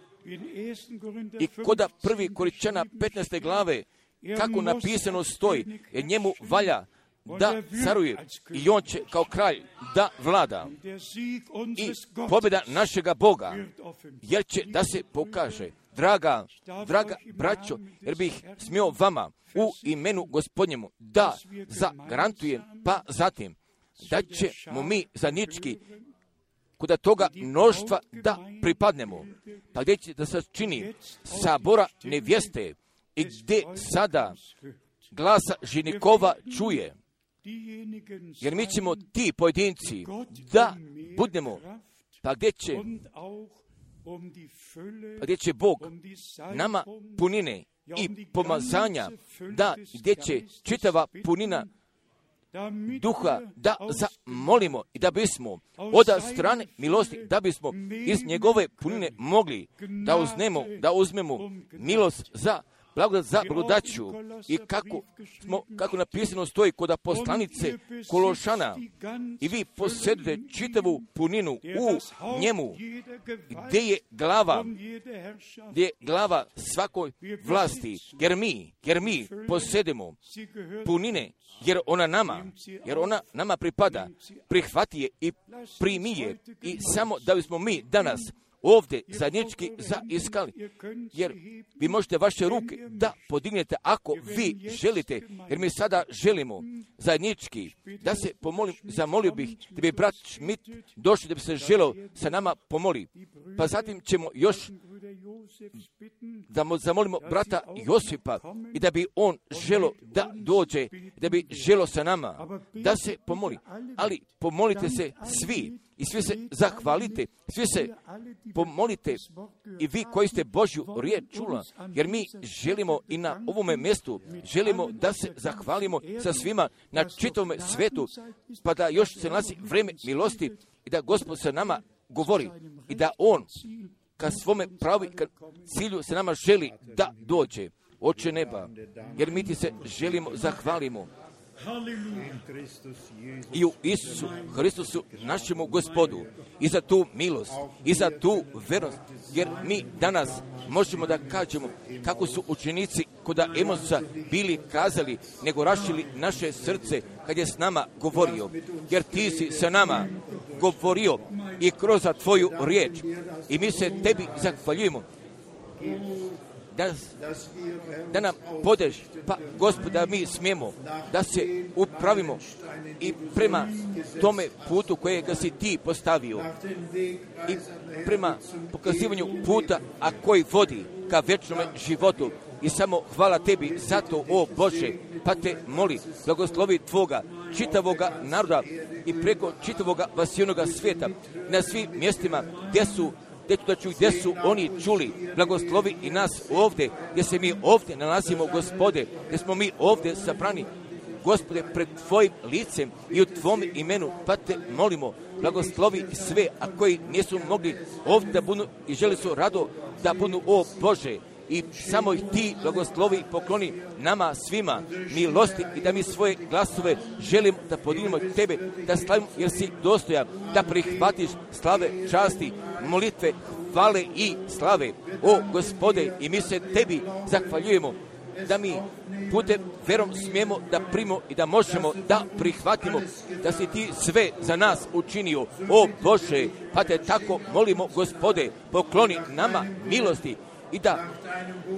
I koda prvi Korinčana petnaeste glave, kako napisano stoji, jer njemu valja da caruje i on će kao kralj da vlada. I pobjeda našega Boga, jer će da se pokaže. Draga, draga braćo, jer bih smio vama u imenu Gospodnjemu da zagarantujem, pa zatim da ćemo mi zajednički kod toga mnoštva da pripadnemo, pa gdje će da se čini sabora nevjeste i gdje sada glasa ženikova čuje, jer mi ćemo ti pojedinci da budemo, pa gdje će pa gdje će Bog nama punine i pomazanja, da gdje će čitava punina duha da zamolimo i da bismo od strane milosti, da bismo iz njegove punine mogli da uzmemo, da uzmemo milost za blagodat za blagodaću i kako smo, kako napisano stoji kod poslanice Kološana, i vi posjedujete čitavu puninu u njemu, gdje je glava, gdje je glava svakoj vlasti, jer mi, jer mi posjedimo punine, jer ona nama, jer ona nama pripada, prihvati je i primi je, i samo da bismo mi danas ovdje zajednički zaiskali, jer vi možete vaše ruke da podignete ako vi želite, jer mi sada želimo zajednički da se pomolim, zamolio bih da bi brat Schmidt došli da bi se želeo sa nama pomoli. Pa zatim ćemo još da zamolimo brata Josipa i da bi on želo da dođe, da bi želo sa nama da se pomoli. Ali pomolite se svi i svi se zahvalite, svi se pomolite i vi koji ste Božju riječ čula, jer mi želimo i na ovome mjestu, želimo da se zahvalimo sa svima na čitavome svetu, pa da još se nalazi vrijeme milosti i da Gospod sa nama govori i da On ka svome pravi ka cilju se nama želi da dođe. Oče neba, jer mi ti se želimo zahvalimo i u Isusu Hristusu našemu Gospodu i za tu milost i za tu vernost, jer mi danas možemo da kažemo kako su učenici kod Emosa bili kazali, nego rašili naše srce kad je s nama govorio, jer ti si sa nama govorio i kroz tvoju riječ, i mi se tebi zahvaljujemo da, da nam podeš, pa Gospod, da mi smijemo da se upravimo i prema tome putu kojega si ti postavio i prema pokazivanju puta, a koji vodi ka večnome životu. I samo hvala tebi za to, o Bože, pa te moli, blagoslovi tvoga čitavoga naroda i preko čitavoga vasijonoga svijeta, na svim mjestima gdje su gdje su oni čuli, blagoslovi i nas ovdje, gdje se mi ovdje nalazimo, Gospode, gdje smo mi ovdje sabrani, Gospode, pred tvojim licem i u tvom imenu, pa te molimo, blagoslovi sve, a koji nisu mogli ovdje da budu i želi su rado da budu, o Bože, i samo ih ti blagoslovi i pokloni nama svima milosti i da mi svoje glasove želimo da podignemo tebe, da slavimo, jer si dostojan da prihvatiš slave, časti, molitve, hvale i slave. O Gospode, i mi se tebi zahvaljujemo da mi putem verom smijemo da primimo i da možemo da prihvatimo da si ti sve za nas učinio. O Bože, pa te tako molimo, Gospode, pokloni nama milosti i da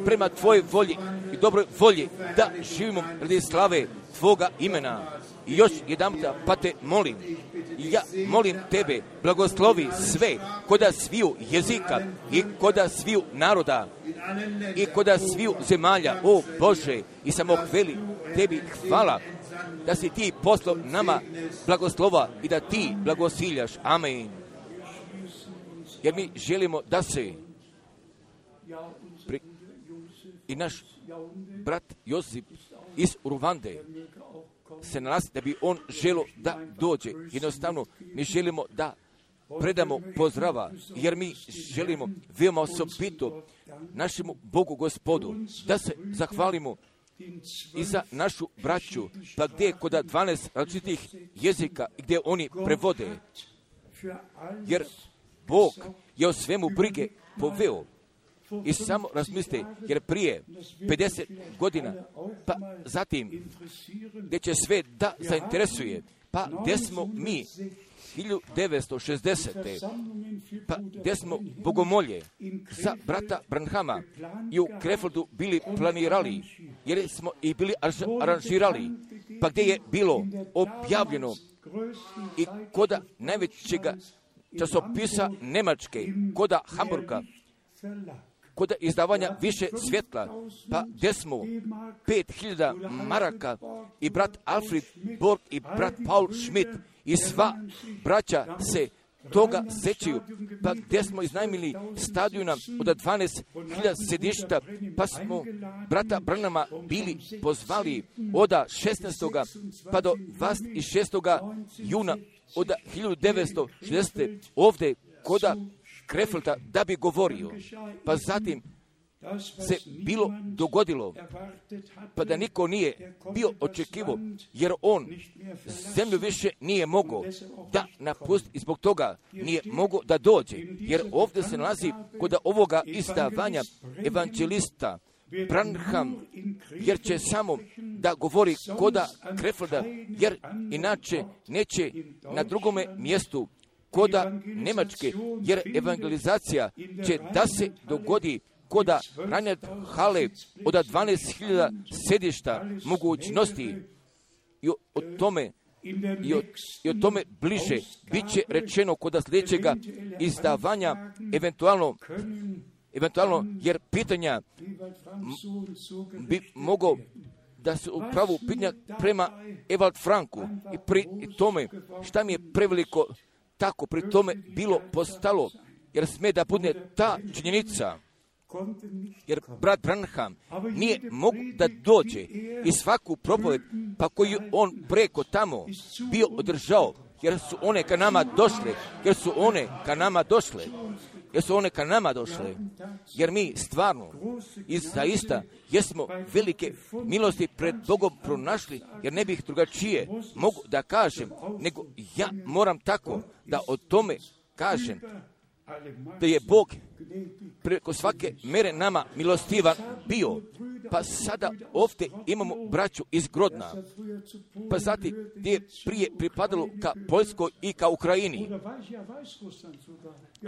prema tvojoj volji i dobroj volji da živimo radi slave tvoga imena. I još jedanputa, pa te molim, ja molim tebe, blagoslovi sve koda sviju jezika i koda sviju naroda i koda sviju zemalja, o Bože, i samo hveli tebi hvala da si ti poslao nama blagoslova i da ti blagosiljaš. Amen. Jer mi želimo da se Pri, i naš brat Josip iz Urvande se nalazi da bi on želio da dođe. Jednostavno mi želimo da predamo pozdrava, jer mi želimo veoma osobito našemu Bogu Gospodu da se zahvalimo i za našu braću, pa gdje kod dvanaest različitih jezika gdje oni prevode, jer Bog je o svemu brige poveo. I samo razmislite, jer prije pedeset godina, pa zatim, gdje će sve da zainteresuje, pa gdje smo mi, hiljadu devetsto šezdesete. pa gdje smo bogomolje za brata Branhama i u Krefeldu bili planirali, jer smo i bili aranžirali, pa gdje je bilo objavljeno i koda najvećega časopisa Nemačke, koda Hamburga, kod izdavanja više svjetla, pa gdje smo pet hiljada maraka i brat Alfred Borg i brat Paul Schmidt i sva braća se toga sećaju, pa gdje smo iznajmili stadiona od dvanaest hiljada sedišta, pa smo brata Branhama bili pozvali od šesnaestog pa do dvadeset šestog juna od hiljadu devetsto šezdesete. ovdje koda Krefelda da bi govorio, pa zatim se bilo dogodilo, pa da niko nije bio očekivo, jer on zemlju više nije mogao da napusti i zbog toga nije mogao da dođe, jer ovdje se nalazi kod ovoga izdavanja evanđelista Branham, jer će samo da govori koda Krefelda, jer inače neće na drugome mjestu koda Nemačke, jer evangelizacija će da se dogodi koda Reinhard Hale od dvanaest hiljada sedišta mogućnosti i o tome i o, i o tome bliže bit će rečeno koda sljedećega izdavanja eventualno eventualno jer pitanja bi mogao da se upravo pitanja prema Ewald Franku i pri tome šta mi je preveliko tako pri tome bilo postalo, jer sme da bude ta činjenica, jer brat Branham nije mogu da dođe i svaku propoved pa koju on preko tamo bio održao, jer su one ka nama došle, jer su one ka nama došle, jer su one ka nama došle, jer mi stvarno i zaista jesmo velike milosti pred Bogom pronašli, jer ne bih drugačije mogu da kažem, nego ja moram tako da o tome kažem, da je Bog preko svake mere nama milostivan bio. Pa sada ovdje imamo braću iz Grodna, pa zatim gdje je prije pripadalo ka Poljskoj i ka Ukrajini,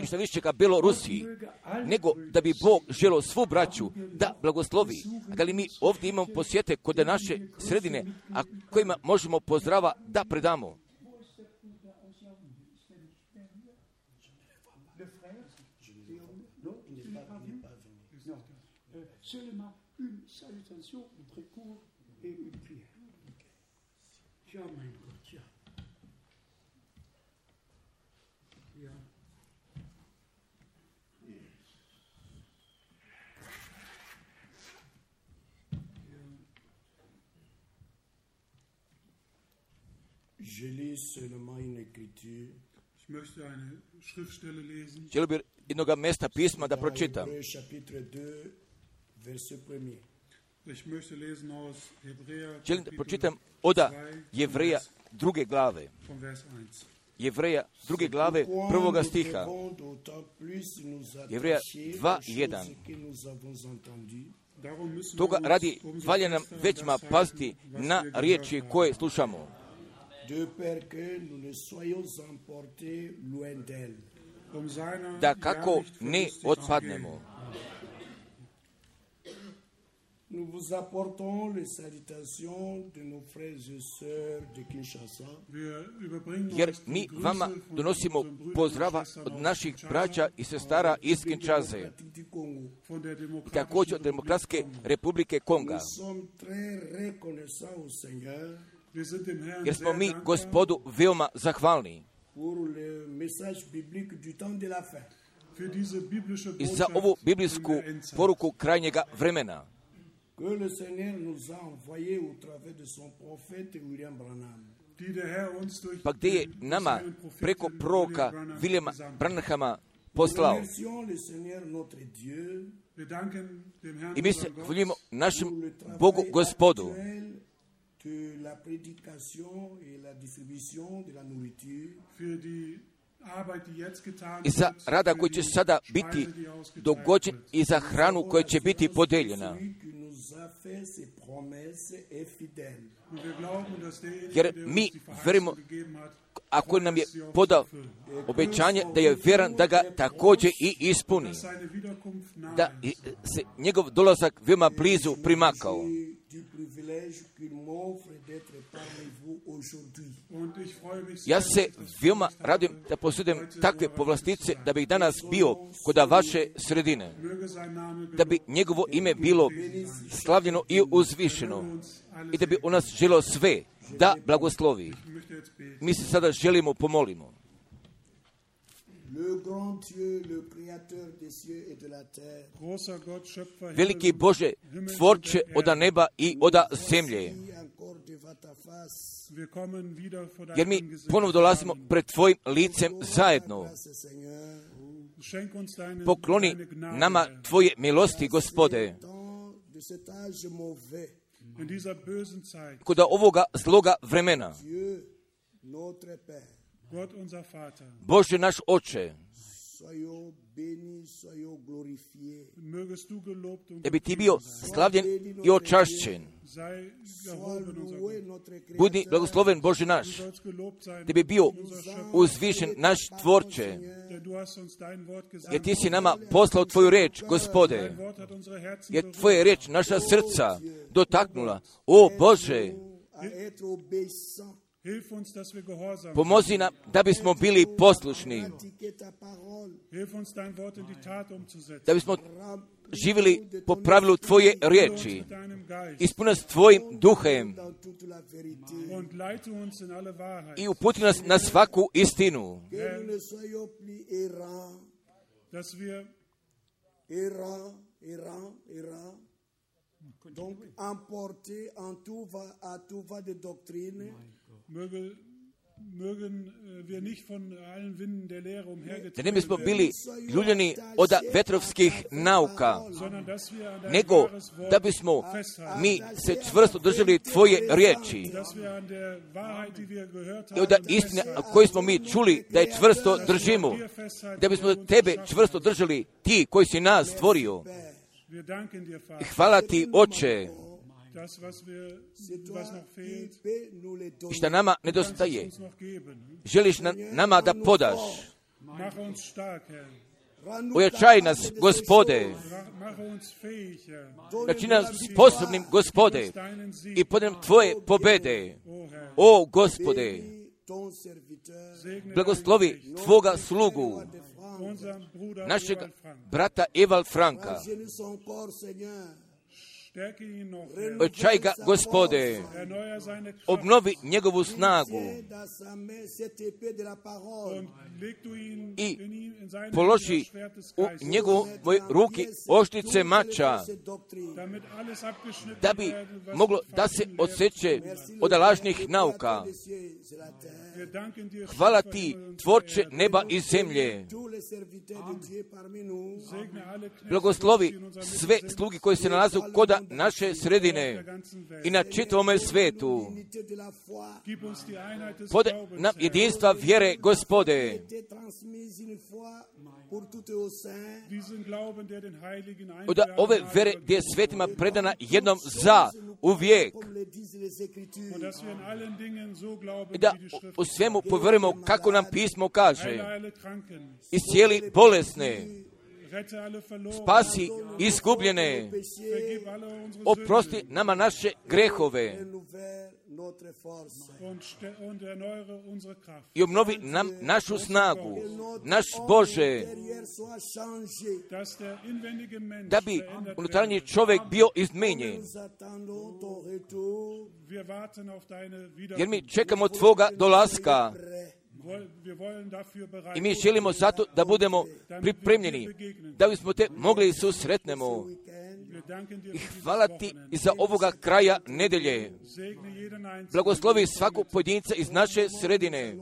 i što više ka Belorusiji, nego da bi Bog želio svu braću da blagoslovi. A da li mi ovdje imamo posjete kod naše sredine, a kojima možemo pozdrava da predamo? Une salutation, très court et une prière. Ja, mein Gott, ja. Ja. Je lis seulement une écriture. Ich möchte eine Schriftstelle lesen. Želio bih jednoga mjesta pisma da pročitam. Chapitre deux, verset premier. Ich möchte lesen aus Hebräer. Želim da pročitam od Jevreja druge glave. Jevreja druge glave prvoga stiha. Jevreja dva jedan. Toga radi valja nam većma paziti na riječi koje slušamo, da kako ne otpadnemo. Nous vous apportons les salutations de nos frères et sœurs de Kinshasa. Jer mi vama donosimo pozdrava od naših braća i sestara iz Kinshase, također od Demokratske republike Konga. Jer smo mi Gospodu veoma zahvalni i za ovu biblijsku poruku krajnjega vremena, que le Seigneur nous a envoyé au travers de son prophète William Branham. Pa gdje je nama preko proroka Williama Branhama poslao. I mi se hvaljujemo našem Bogu Gospodu i za rada koji će sada biti dogođen i za hranu koja će biti podeljena. Jer mi verimo, ako nam je podao obećanje da je vjeran da ga također i ispuni, da se njegov dolazak veoma blizu primakao. Ja se veoma radujem da posjedujem takve povlastice, da bih danas bio kod vaše sredine, da bi njegovo ime bilo slavljeno i uzvišeno i da bi on nas želio sve da blagoslovi. Mi se sada želimo pomolimo. Veliki Bože, tvorče oda neba i oda zemlje, jer mi ponovno dolazimo pred Tvojim licem zajedno. Pokloni nama Tvoje milosti, Gospode, kod ovoga zloga vremena. Bože naš Oče, da bi Ti bio slavljen i očašćen. Budi blagosloven Bože naš, da bi bio uzvišen naš Tvorče, jer Ti si nama poslao Tvoju reč, Gospode, jer Tvoja reč naša srca dotaknula. O Bože, pomozi nam da bismo bili poslušni, da bismo živjeli po pravilu Tvoje riječi, ispuni nas Tvojim duhem i uputi nas na svaku istinu. Donc, emporté en tout va, à tout va de doctrine, da ne bismo bili ljuljeni od vetrovskih nauka, nego da bismo mi se čvrsto držali Tvoje riječi i od istine koje smo mi čuli da je čvrsto držimo, da bismo Tebe čvrsto držali, Ti koji si nas stvorio. I hvala Ti, Oče, i šta nama nedostaje, želiš na, nama da podaš. Ojačaj nas, Gospode, načini nas sposobnim, Gospode, i podem Tvoje pobede. O, Gospode, blagoslovi Tvoga slugu, našeg brata Evald Franka. Ojačaj ga, Gospode, obnovi njegovu snagu i položi u njegovoj ruki oštrice mača, da bi moglo da se odseče od lažnih nauka. Hvala Ti, Tvorče neba i zemlje. Blagoslovi sve slugi koji se nalaze kod naše sredine i na čitavome svetu. Pode nam jedinstva vjere, Gospode. Od ove vere gdje je svetima predana jednom za uvijek. I da u svemu povjerujemo kako nam pismo kaže. Iscijeli bolesne, spasi izgubljene, oprosti nama naše grehove i obnovi nam našu snagu, naš Bože, da bi unutarnji čovjek bio izmenjen. Jer mi čekamo Tvoga dolaska i mi želimo zato da budemo pripremljeni, da bismo Te mogli susretnemo. I hvala Ti i za ovoga kraja nedelje. Blagoslovi svaku pojedinca iz naše sredine.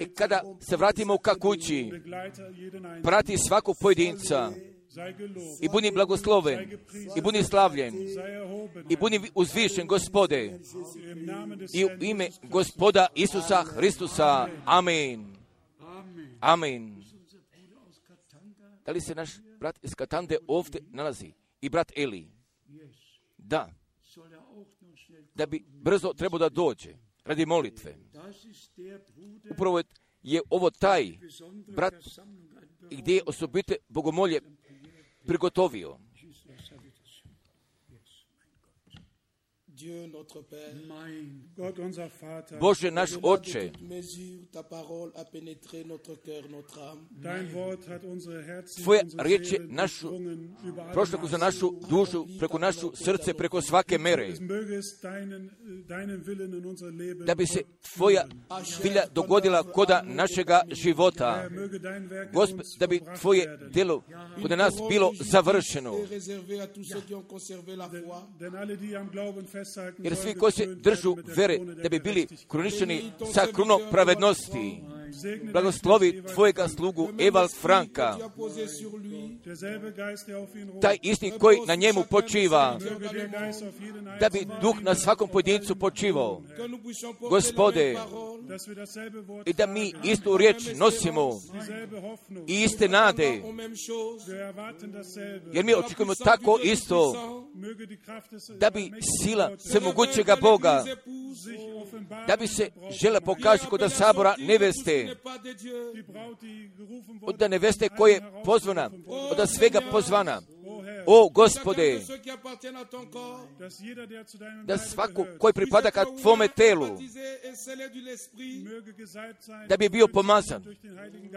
I kada se vratimo ka kući, prati svaku pojedinca i budi blagosloven, i budi slavljen, i budi uzvišen, Gospode, i u ime Gospoda Isusa Hristusa. Amen. Amen. Da li se naš brat iz Katande ovdje nalazi? I brat Eli? Da. Da bi brzo trebao da dođe radi molitve. Upravo je ovo taj brat gdje je osobite bogomolje prigotovio. Bože naš Oče, Tvoja riječ je našu, prošla kroz našu dušu, preko našu srce, preko svake mere. Da bi se Tvoja vilja dogodila koda našega života. Gospod, da bi Tvoje djelo kod nas bilo završeno. Jer svi koji se držu vere da bi bili kruničeni sa krunom pravednosti. Blagoslovi Tvojega slugu Evald Franka, taj isti koji na njemu počiva, da bi duh na svakom pojedincu počivao. Gospode, i da mi istu riječ nosimo i iste nade, jer mi očekujemo tako isto, da bi sila svemogućega Boga, da bi se žela pokaže kod sabora neveste, od neveste koje je pozvana, od svega pozvana. O Gospode, da svako koji pripada ka Tvome telu, da bi bio pomazan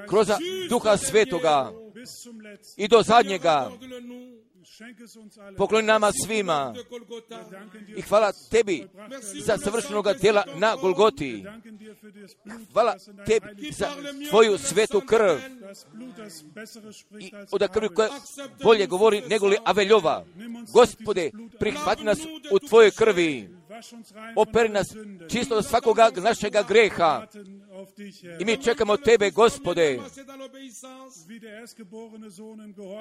kroz Duha Svetoga i do zadnjega. Pokloni nama svima i hvala Tebi za savršenoga djela na Golgoti. Hvala Tebi za Tvoju svetu krv i od krvi koja bolje govori nego li Aveljova. Gospode, prihvati nas u Tvojoj krvi operi nas čisto od svakoga našega greha. I mi čekamo Tebe, Gospode,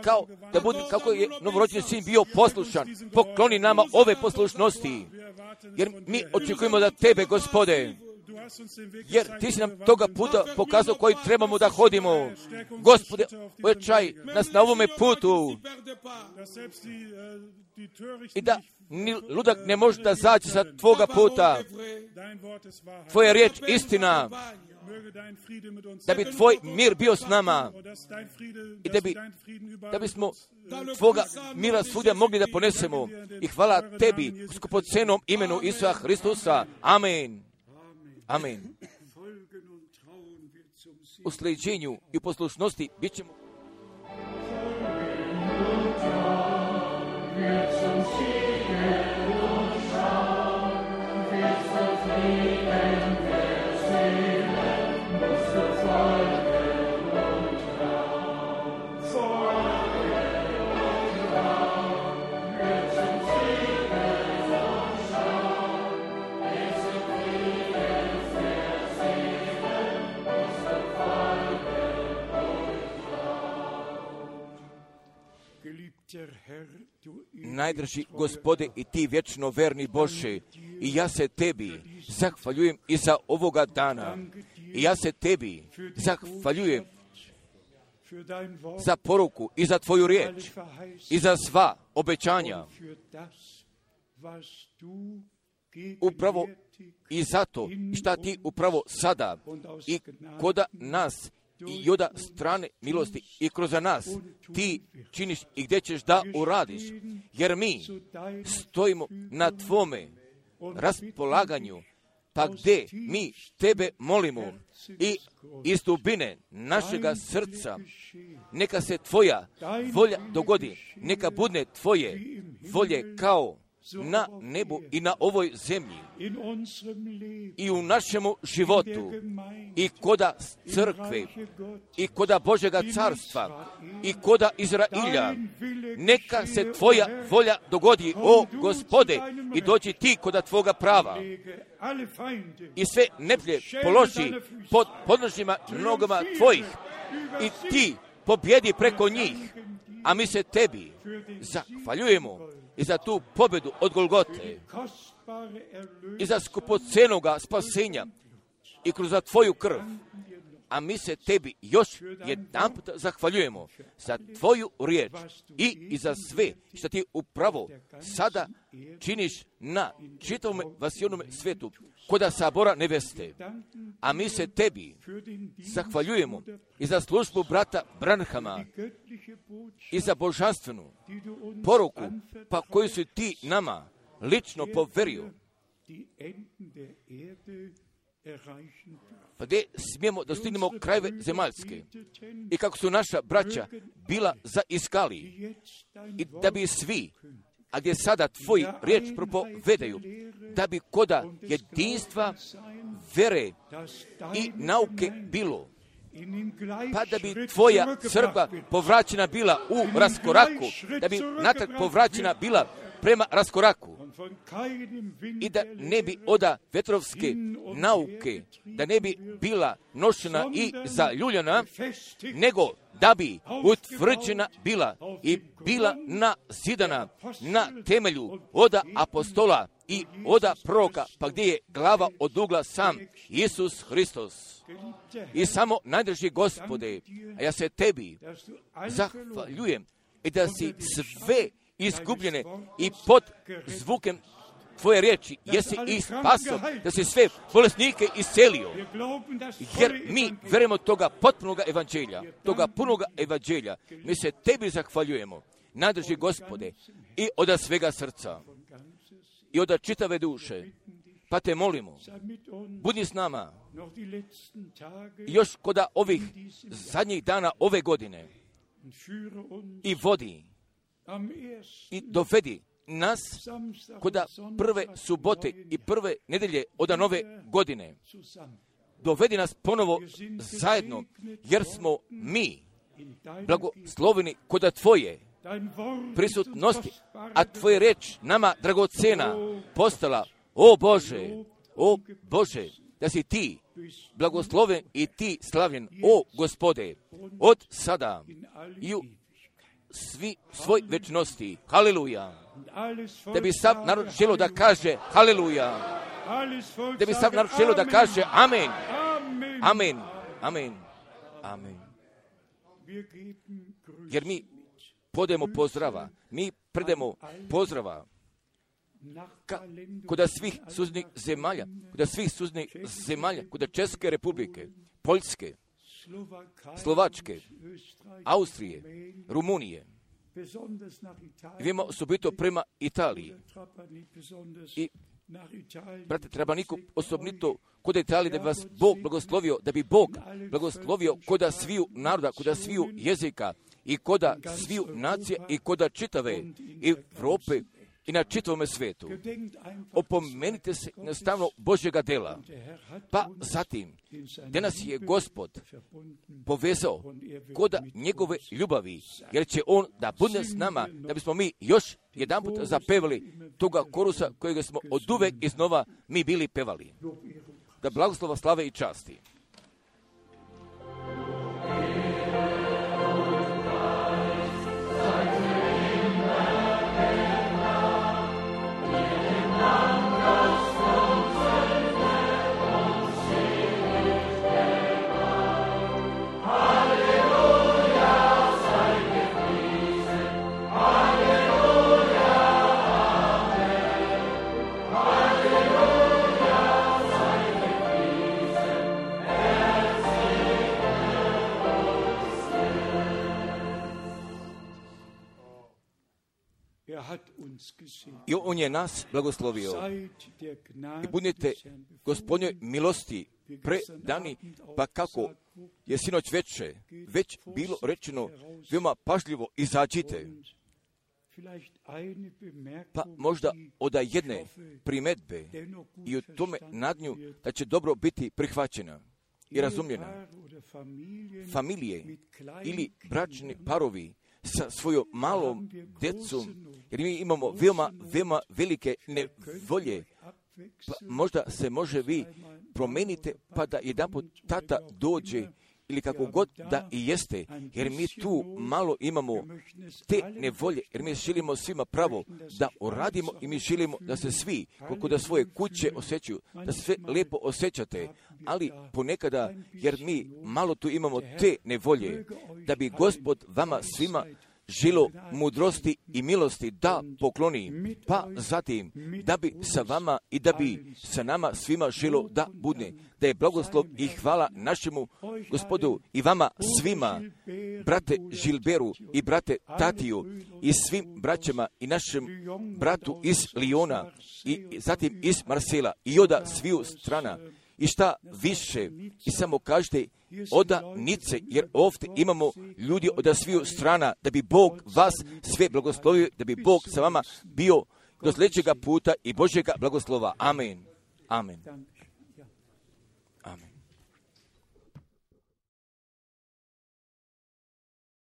kao da bude, kako je novorođeni sin bio poslušan. Pokloni nama ove poslušnosti, jer mi očekujemo da Tebe, Gospode, jer Ti si nam toga puta pokazao koji trebamo da hodimo. Gospode, ojačaj nas na ovome putu i da ni ludak ne može da zađe sa Tvoga puta. Tvoja riječ istina, da bi Tvoj mir bio s nama i da bi, da bismo Tvoga mira svugdje mogli da ponesemo. I hvala Tebi u skupocenom imenu Isusa Hristusa. Amen. Amen. U sljeđenju i u poslušnosti bit ćemo Najdraži Gospode i Ti vječno verni Bože, i ja se Tebi zahvaljujem i za ovoga dana. I ja se Tebi zahvaljujem za poruku i za Tvoju riječ i za sva obećanja. Upravo i zato šta Ti upravo sada i koda nas i od strane milosti i kroz nas Ti činiš i gdje ćeš da uradiš, jer mi stojimo na Tvome raspolaganju, pa gdje mi Tebe molimo i iz dubine našega srca, neka se Tvoja volja dogodi, neka bude Tvoje volje kao na nebu i na ovoj zemlji i u našemu životu i koda crkve i koda Božega carstva i koda Izrailja. Neka se Tvoja volja dogodi, o Gospode, i dođi Ti koda Tvoga prava i sve neplje položi pod podnožnjima nogama Tvojih i Ti pobjedi preko njih, a mi se Tebi zahvaljujemo i za tu pobjedu od Golgote i za skupocenoga spasenja i kroz Tvoju krv. A mi se Tebi još jedanput zahvaljujemo za Tvoju riječ i, i za sve što Ti upravo sada činiš na čitavom vasijonome svetu koda sabora neveste. A mi se Tebi zahvaljujemo i za službu brata Branhama i za božanstvenu poruku pa koju si Ti nama lično poverio, pa gdje smijemo da stignemo krajeve zemaljske i kako su naša braća bila zaiskali i da bi svi, a gdje sada Tvoji riječ propovedaju, da bi koda jedinstva, vere i nauke bilo, pa da bi Tvoja crkva povraćena bila u raskoraku, da bi natrag povraćena bila prema raskoraku i da ne bi oda vetrovske nauke, da ne bi bila nošena i zaljuljena, nego da bi utvrđena bila i bila nazidana na temelju oda apostola i oda proroka, pa gdje je glava od ugla sam Isus Hristos. I samo najdraži Gospode, a ja se Tebi zahvaljujem i da si sve izgubljene i pod zvukem Tvoje riječi jesi i spaso, da si sve bolesnike iscelio, jer mi verujemo toga potpunoga evanđelja, toga punoga evanđelja. Mi se Tebi zahvaljujemo, najdraži Gospode, i od svega srca i od čitave duše, pa te molimo, budi s nama još koda ovih zadnjih dana ove godine i vodi i dovedi nas koda prve subote i prve nedelje od nove godine. Dovedi nas ponovo zajedno, jer smo mi blagosloveni koda Tvoje prisutnosti, a Tvoje reč nama dragocena postala, O Bože, o Bože, da si ti blagosloven i ti slavljen, o Gospode, od sada i u svi svoj večnosti. Haleluja. Da bi sav narod želo da kaže haleluja. Da bi sav narod želo da kaže amen. Amen. Amen. Amen. Jer mi podajemo pozdrava. Mi predemo pozdrava Ka, kod svih suznih zemalja, kod svih suznih zemalja, kod Česke republike, Poljske, Slovačke, Austrije, Rumunije. Vidimo osobito prema Italiji. I, brate, treba niko osobito kod Italije da bi vas Bog blagoslovio, da bi Bog blagoslovio koda sviju naroda, koda sviju jezika i koda sviju nacije i koda čitave Evrope i na čitavome svetu. Opomenite se nastavno Božjega dela. Pa zatim, da nas je Gospod povezao koda njegove ljubavi, jer će On da bude s nama, da bismo mi još jedan put zapevali toga korusa kojega smo od uvek iznova mi bili pevali. Da blagoslova, slave i časti. I On je nas blagoslovio. I budite Gospodnjoj milosti predani, pa kako je sinoć veče već bilo rečeno, veoma pažljivo izađite. Pa možda od jedne primedbe i u tome nadnju da će dobro biti prihvaćena i razumljena. Familije ili bračni parovi sa svojom malom djecom, jer mi imamo veoma, veoma velike nevolje, pa možda se može vi promenite, pa da jedanput tata dođe, ili kako god da i jeste, jer mi tu malo imamo te nevolje, jer mi želimo svima pravo da uradimo i mi želimo da se svi, koliko da svoje kuće osjećaju, da se sve lijepo osjećate, ali ponekada, jer mi malo tu imamo te nevolje, da bi Gospod vama svima želo mudrosti i milosti da pokloni, pa zatim da bi sa vama i da bi sa nama svima želo da bude, da je blagoslov i hvala našemu Gospodu i vama svima, brate Žilberu i brate Tatiju i svim braćama i našem bratu iz Lijona i zatim iz Marsela i oda sviju strana. I šta više, i samo kažete oda nice, jer ovdje imamo ljudi od sviju strana, da bi Bog vas sve blagoslovio, da bi Bog sa vama bio do sljedećega puta i Božjega blagoslova. Amen. Amen.